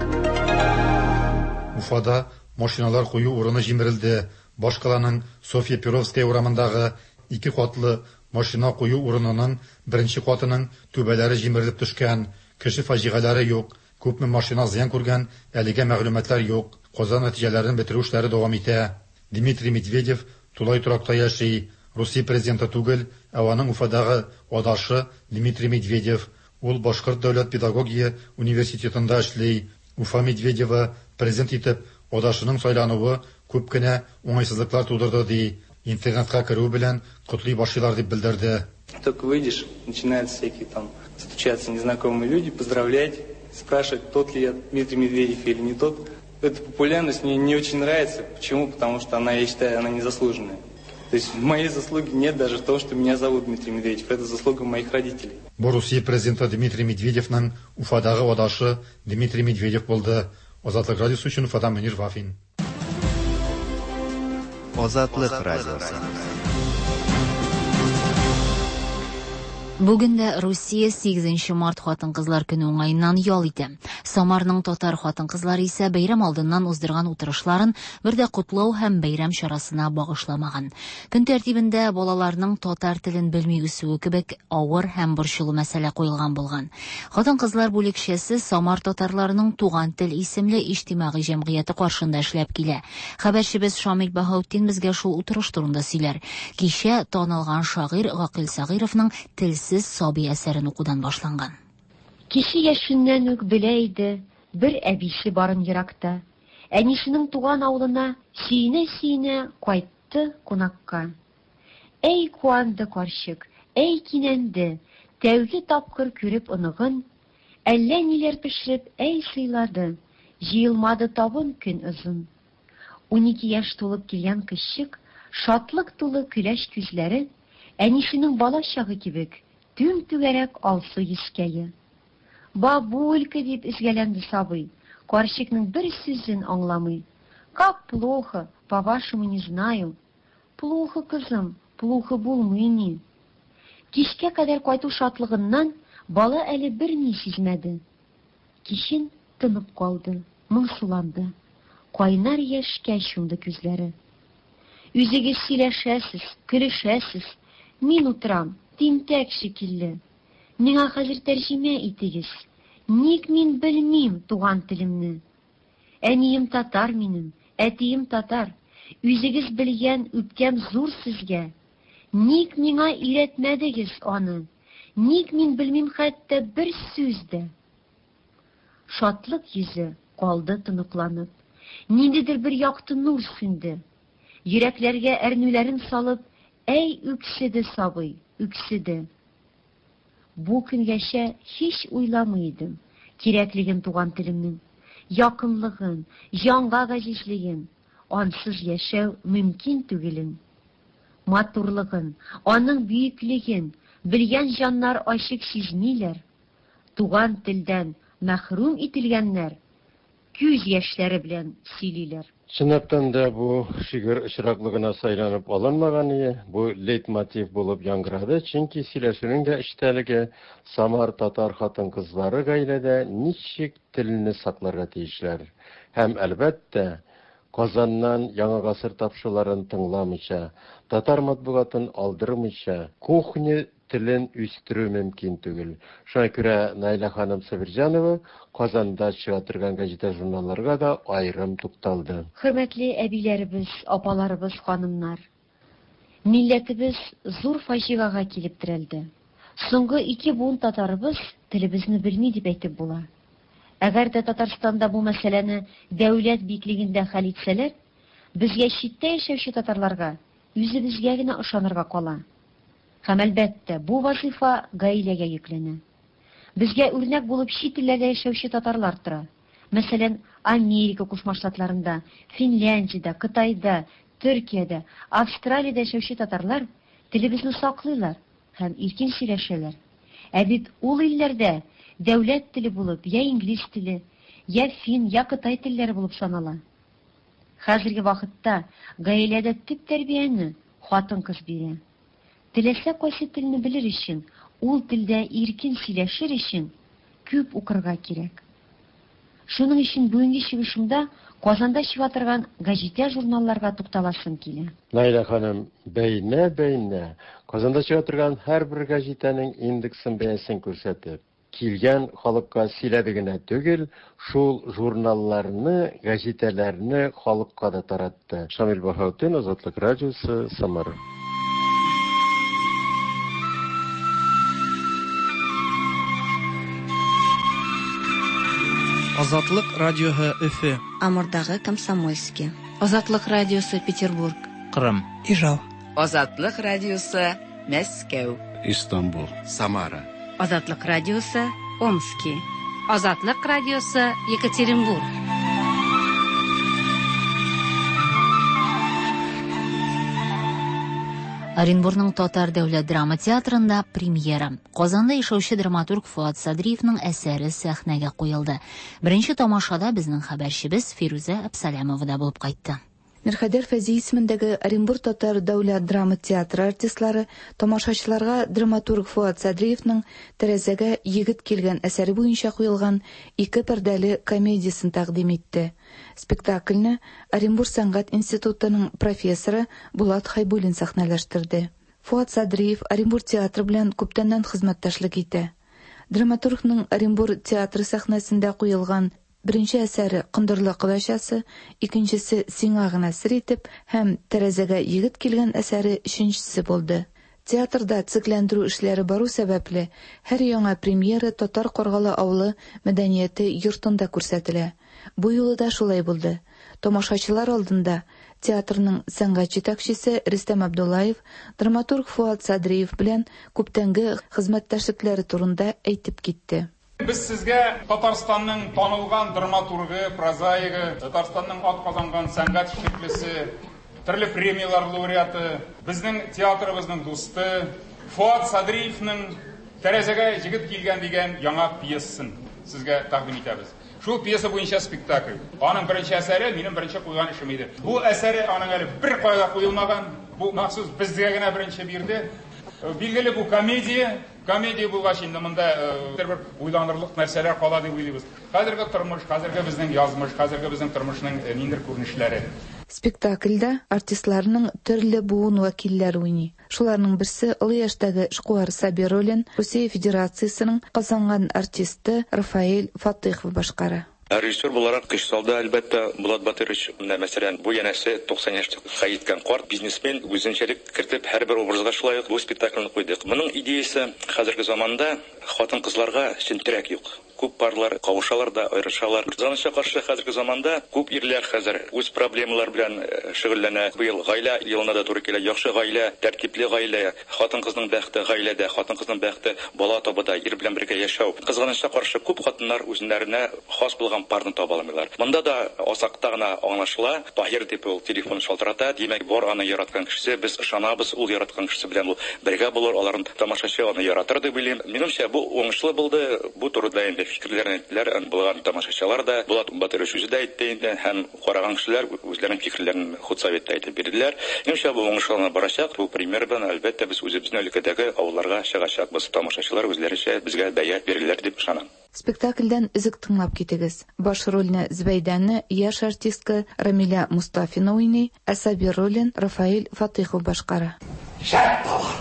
Уфада машиналар кую урыны җимерелде. Башкаланың Софья Перовская урамындагы ике катлы машина кую урынының беренче катының түбәләре җимерелеп төшкән. Кеше фаҗигаләре юк. Күпме машина зыян күргән, әлегә мәгълүматлар юк. Каза нәтиҗәләрен бетерү эшләре дәвам итә. Дмитрий Медведев тулай торакта яши. Русия президенты түгел, ә аның Уфадагы адашы Дмитрий Медведев. Ул Башкорт дәүләт педагогия университетында эшли. Уфа Медведевы президент итеп адашының сайлануы күп кенә уңайсызлыклар тудырды ди. Интернетка керү белән котлый башлыйлар дип белдерде. Только выйдешь, начинают всякие там стучаться незнакомые люди, поздравлять, спрашивать, тот ли я Дмитрий Медведев или не тот. Эта популярность мне не очень нравится. Почему? Потому что она, я считаю, она незаслуженная. То есть моей заслуги нет даже в том, что меня зовут Дмитрий Медведев. Это заслуга моих родителей. Бу Русия президенты Дмитрий Медведевның Уфадагы адашы Дмитрий Медведев булды. Азатлык радиосы өчен Уфадан Мөнир Вафин. Азатлык радиосы. Бүген дә Русия 8 март хатын-кызлар көне уңаеннан ял итә. Самарның татар хатын-кызлары исә бәйрәм алдыннан уздырган утырышларын бер дә котлау һәм бәйрәм чарасына багышламаган. Көн тәртибендә балаларның татар телен белми үсүе кебек авыр һәм борчулы мәсьәлә куелган булган. Хатын-кызлар бүлекчәсе Самар татарларының Туган тел исемле иҗтимагый җәмгыяте каршында эшләп килә. Хәбәрчебез Шамил Баһаутдин безгә шул утырыш турында сөйләр. Кичә танылган шагыйрь Гакыйль Сәгыйровның Телсез сабый әсәрен укудан башланган. Кече яшеннән үк белә иде бер әбисе барын еракта. Әнисенең туган авылына сөенә-сөенә кайтты кунакка. Әй куанды карчык, әй кинәнде, тәүге тапкыр күреп оныгын, әллә ниләр пешереп әй сыйлады, җыелмады табын көн озын. 12 яшь тулып килгән кызчык, шатлык тулы көләч күзләре, әнисенең бала чагы кебек, түм-түгәрәк алсу йөзкәе. Бабулька, дип өзгәләнде сабый, карчыкның бер сүзен аңламый. Как плохо, по-вашему не знаю. Плохо, кызым, плохо булмый ни. Кичкә кадәр кайту шатлыгыннан бала әле берни сизмәде. Кичен тынып калды, моңсуланды. Кайнар яшькә чумды күзләре. Үзегез сөйләшәсез, көлешәсез, мин утырам, тинтәк шикелле. Миңа хәзер тәрҗемә итегез. Ник мин белмим туган телемне? Әнием татар минем, әтием татар. Үзегез белгән үпкәм зур сезгә. Ник миңа өйрәтмәдегез аны? Ник мин белмим хәтта бер сүз дә? Шатлык йөзе калды тоныкланып. Ниндидер бер якты нур сүнде. Йөрәкләргә әрнүләрен салып, әй үкседе сабый, үкседе. Бу көнгәчә һич уйламый идем кирәклеген туган телемнең, якынлыгын, җанга газизлеген, ансыз яшәү мөмкин түгелен. Матурлыгын, аның бөеклеген белгән җаннар ачык сизмиләр. Туган телдән мәхрүм ителгәннәр күз яшьләре белән сөйлиләр. Чынлаптан да бу шигырь очраклы гына сайланып алынмаган ие, бу лейтмотив булып яңгырады, чөнки сөйләшүнең дә эчтәлеге Самар татар хатын-кызлары гаиләдә ничек телне сакларга тиешләр һәм, әлбәттә, Казаннан Яңа гасыр тапшыруларын тыңламыйча, татар матбугатын алдырмыйча, кухня телен үстерү мөмкин түгел. Шуңа күрә Наилә ханым Сабирҗанова Казанда чыга торган гәҗитә-журналларга да аерым тукталды. Хөрмәтле әбиләребез, апаларыбыз, ханымнар! Милләтебез зур фаҗигага килеп терәлде. Соңгы ике буын татарыбыз телебезне белми дип әйтеп була. Әгәр дә Татарстанда бу мәсьәләне дәүләт биеклегендә хәл итсәләр, безгә читтә яшәүче татарларга үзебезгә генә ышанырга кала. Һәм, әлбәттә, бу вазыйфа гаиләгә йөкләнә. Безгә үрнәк булып чит илләрдә яшәүче татарлар тора. Мәсәлән, Америка Кушма Штатларында, Финляндиядә, Кытайда, Төркиядә, Австралиядә яшәүче татарлар телебезне саклыйлар һәм иркен сөйләшәләр. Ә бит ул илләрдә дәүләт теле булып я инглиз теле, я фин, я кытай телләре булып санала. Хәзерге вакытта гаиләдә төп тәрбияне хатын-кыз бирә. Теләсә кайсы телне белер өчен, ул телдә иркен сөйләшер өчен күп укырга кирәк. Шуның өчен бүгенге чыгышымда Казанда чыга торган гәҗитә-журналларга тукталасым килә. Наилә ханым, бәйнә-бәйнә Казанда чыга торган һәрбер гәҗитәнең индексын, бәясен күрсәтеп, килгән халыкка сөйләде генә түгел, шул журналларны, гәҗитәләрне халыкка да таратты. Шамил Баһаутдин, Азатлык радиосы, Самара. Азатлык радиоһы Өфе. Амурдагы Комсомольски. Азатлык радиосы Петербург. Кырым. Ижау. Азатлык радиосы Мәскәү. Истанбул. Самара. Азатлык радиосы Омски. Азатлык радиосы Екатеринбург. Оренбурның Татар дәүләт драма театрында премьера. Казанда яшәүче драматург Фоат Садриевның әсәре сәхнәгә куелды. Беренче тамашада безнең хәбәрчебез Фирүзә Әпсәләмова да булып кайтты. Мирхәйдәр Фәйзи исемендәге Оренбур татар дәүләт драма театры артистлары тамашачыларга драматург Фоат Садриевның Тәрәзәгә егет килгән әсәре буенча куелган ике пәрдәле комедиясен тәкъдим итте. Спектакльне Оренбур сәнгать институтының профессоры Булат Хәйбуллин сәхнәләштерде. Фоат Садриев Оренбур театры белән күптәннән хезмәттәшлек итә. Драматургның Оренбур театры сәхнәсендә куелган Беренче әсәре Кондырлы кодачасы, икенчесе Сиңа гына сер итеп һәм Тәрәзәгә егет килгән әсәре өченчесе булды. Театрда төзекләндерү эшләре бару сәбәпле, һәр яңа премьера Татар Каргалы авылы мәдәнияте йортында күрсәтелә. Бу юлы да шулай булды. Тамашачылар алдында театрның сәнгать җитәкчесе Рөстәм Абдуллаев драматург Фоат Садриев белән күптәнге хезмәттәшлекләре турында әйтеп китте. Без сезгә Татарстанның танылган драматургы, прозаигы, Татарстанның атказанган сәнгать эшлеклесе, төрле премияләр лауреаты, безнең театрыбызның дусты Фоат Садриевның Тәрәзәгә җегет килгән дигән яңа пьесасын сезгә тәкъдим итәбез. Шул пьеса буенча спектакль. Аның беренче әсәре, минем беренче куйган эшем иде. Бу әсәре аның әле беркая да куелмаган. Бу махсус безгә генә беренче бирде. Билгеле, бу комедия. Комедия булгач инде монда бер уйланырлык нәрсәләр кала дип уйлыйбыз. Хәзерге тормыш, хәзерге безнең язмыш, хәзерге безнең тормышның ниндидер күренешләре. Спектакльдә артистларның төрле буын вәкилләре уйный. Шуларның берсе, олы яшьтәге эшкуар Сабир ролен Русия Федерациясенең казанган артисты Рафаэль Фатыйхов башкара. Ә режиссер буларак көч салды, әлбәттә, Булат Батырович. Менә, мәсәлән, бу янәсе 90 яшькә җиткән карт бизнесмен үзенчәлек кертеп, һәрбер образга шулай ук бу спектакльне куйдык. Моның идеясе, хәзерге заманда хатын-кызларга чын терәк юк. Күп парлар кавышалар да, аерышалар. Кызганычка каршы, хәзерге заманда күп ирләр хәзер үз проблемалары белән шөгыльләнә. Быел Гаилә елына да туры килә. Яхшы гаилә, тәртипле гаилә, Хатын-кызның бәхте, гаиләдә, хатын-кызның бәхте, бала табуда, ир белән бергә яшәү. Кызганычка каршы, күп хатыннар үзеннәренә хас булган парны таба алмыйлар. Монда да азакта гына аңлашыла, Таһир дип ул телефон шалтырата, димәк, бар аның яраткан кешесе, без ышанабыз, ул яраткан кешесе белән ул бергә булыр, аларны тамашачы аны яратыр дип уйлыйм. Минемчә, бу уңышлы булды. Бу турыда инде фикерләрен әйттеләр булган тамашачылар да, Булат Батырович үзе дә әйтте инде һәм Караган кешеләр үзләренең фикерләрен худсоветта әйтеп бирделәр. Минемчә, бу уңышлы гына барачак. Бу премьера белән, әлбәттә, без үзебезнең өлкәдәге авылларга чыгачакбыз. Тамашачылар үзләренчә безгә бәя бирерләр дип ышанам. Спектакльдән өзек тыңлап китегез. Баш рольне Зөбәйдәне яшь артистка Рамилә Мостафина уйный, ә Сабир ролен Рафаэль Фатыйхов башкара. Шәп товар!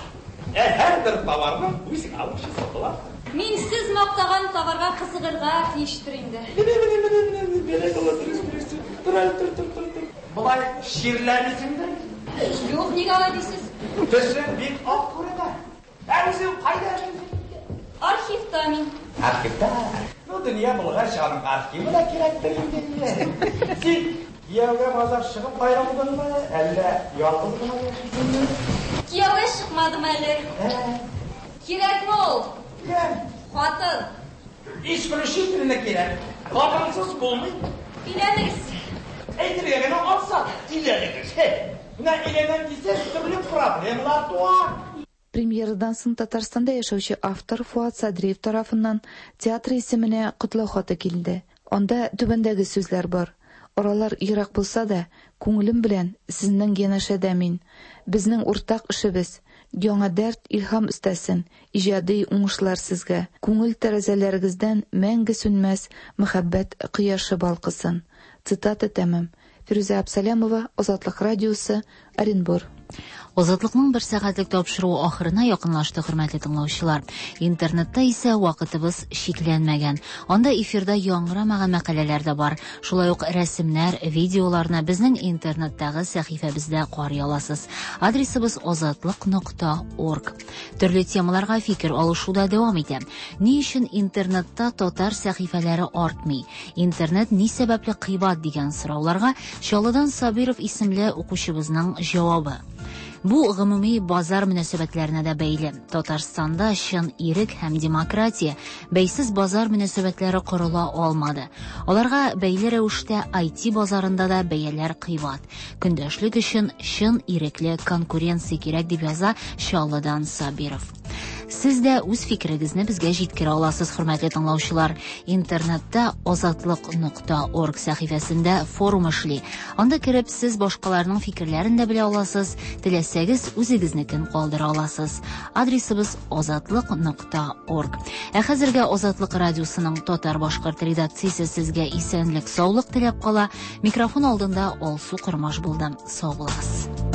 Ә һәрбер товарның үз алучысы була. Мин сез мактаган товарга кызыгырга тиештер инде. Менә, менә, менә, менә, менә, бәрәкалла, дөрес, дөрес. Тор әле, тор, тор, тор, тор. Болай чирләмисеңдер? Юк, нигә алай дисез? Төсең бик ак күренә. Ә үзең кайда эшлисең? Архивта мин. Архивта? Ну, дөнья булгач, аның архивы да кирәктер инде. Син кияүгә базар чыгып аерылдыңмы, әллә ялгыз гына яшисеңме? Кияүгә чыкмадым әле. Кирәкме ул? Кем? Хатын. Исключительно кирәк. Хатынсыз булмый. Өйләнегез. Әйтергә генә ансат, өйләнегез. Менә өйләнәм дисәң, төрле проблемалар туа. Премьерадан соң Татарстанда яшәүче автор Фоат Садриев тарафыннан театр исеменә котлау хаты килде. Анда түбәндәге сүзләр бар, Аралар ерак булса да, күңелем белән сезнең янәшәдә мин. Безнең уртак эшебез, яңа дәрт, илһам өстәсен, иҗади уңышлар сезгә, күңел тәрәзәләрегездән мәңге сүнмәс мәхәббәт кояшы балкысын. Цитата тәмам. Фирүзә Абсалямова, Азатлык радиосы, Оренбур. Азатлыкның бер сәгатьлек тапшыруы ахырына якынлашты, хөрмәтле тыңлаучылар. Интернетта исә вакытыбыз чикләнмәгән. Анда эфирда яңгырамаган мәкаләләр дә бар. Шулай ук рәсемнәр, видеоларны безнең интернеттагы сәхифәбездә карый аласыз. Адресыбыз азатлык.орг. Төрле темаларга фикер алышу да дәвам итә. Ни өчен интернетта татар сәхифәләре артмый? Интернет ни сәбәпле кыйбат дигән сорауларга Чаллыдан Сабиров исемле укучыбызның җавабы. Бу гомуми базар мөнәсәбәтләренә дә бәйле. Татарстанда чын ирек һәм демократия, бәйсез базар мөнәсәбәтләре корыла алмады. Аларга бәйле рәвештә IT базарында да бәяләр кыйбат. Көндәшлек өчен чын ирекле конкуренция кирәк, дип яза Чаллыдан Сабиров. Сез дә үз фикерегезне безгә җиткерә аласыз, хөрмәтле тыңлаучылар. Интернетта азатлык нокта орг сәхифәсендә форум эшли. Анда кереп, сез башкаларның фикерләрен дә белә аласыз, теләсәгез, үзегезнекен калдыра аласыз. Адресыбыз азатлык нокта орг. Ә хәзергә Азатлык радиосының татар-башкорт редакциясе сезгә исәнлек, саулык теләп кала. Микрофон алдында Алсу Кормаш булды. Сау булыгыз.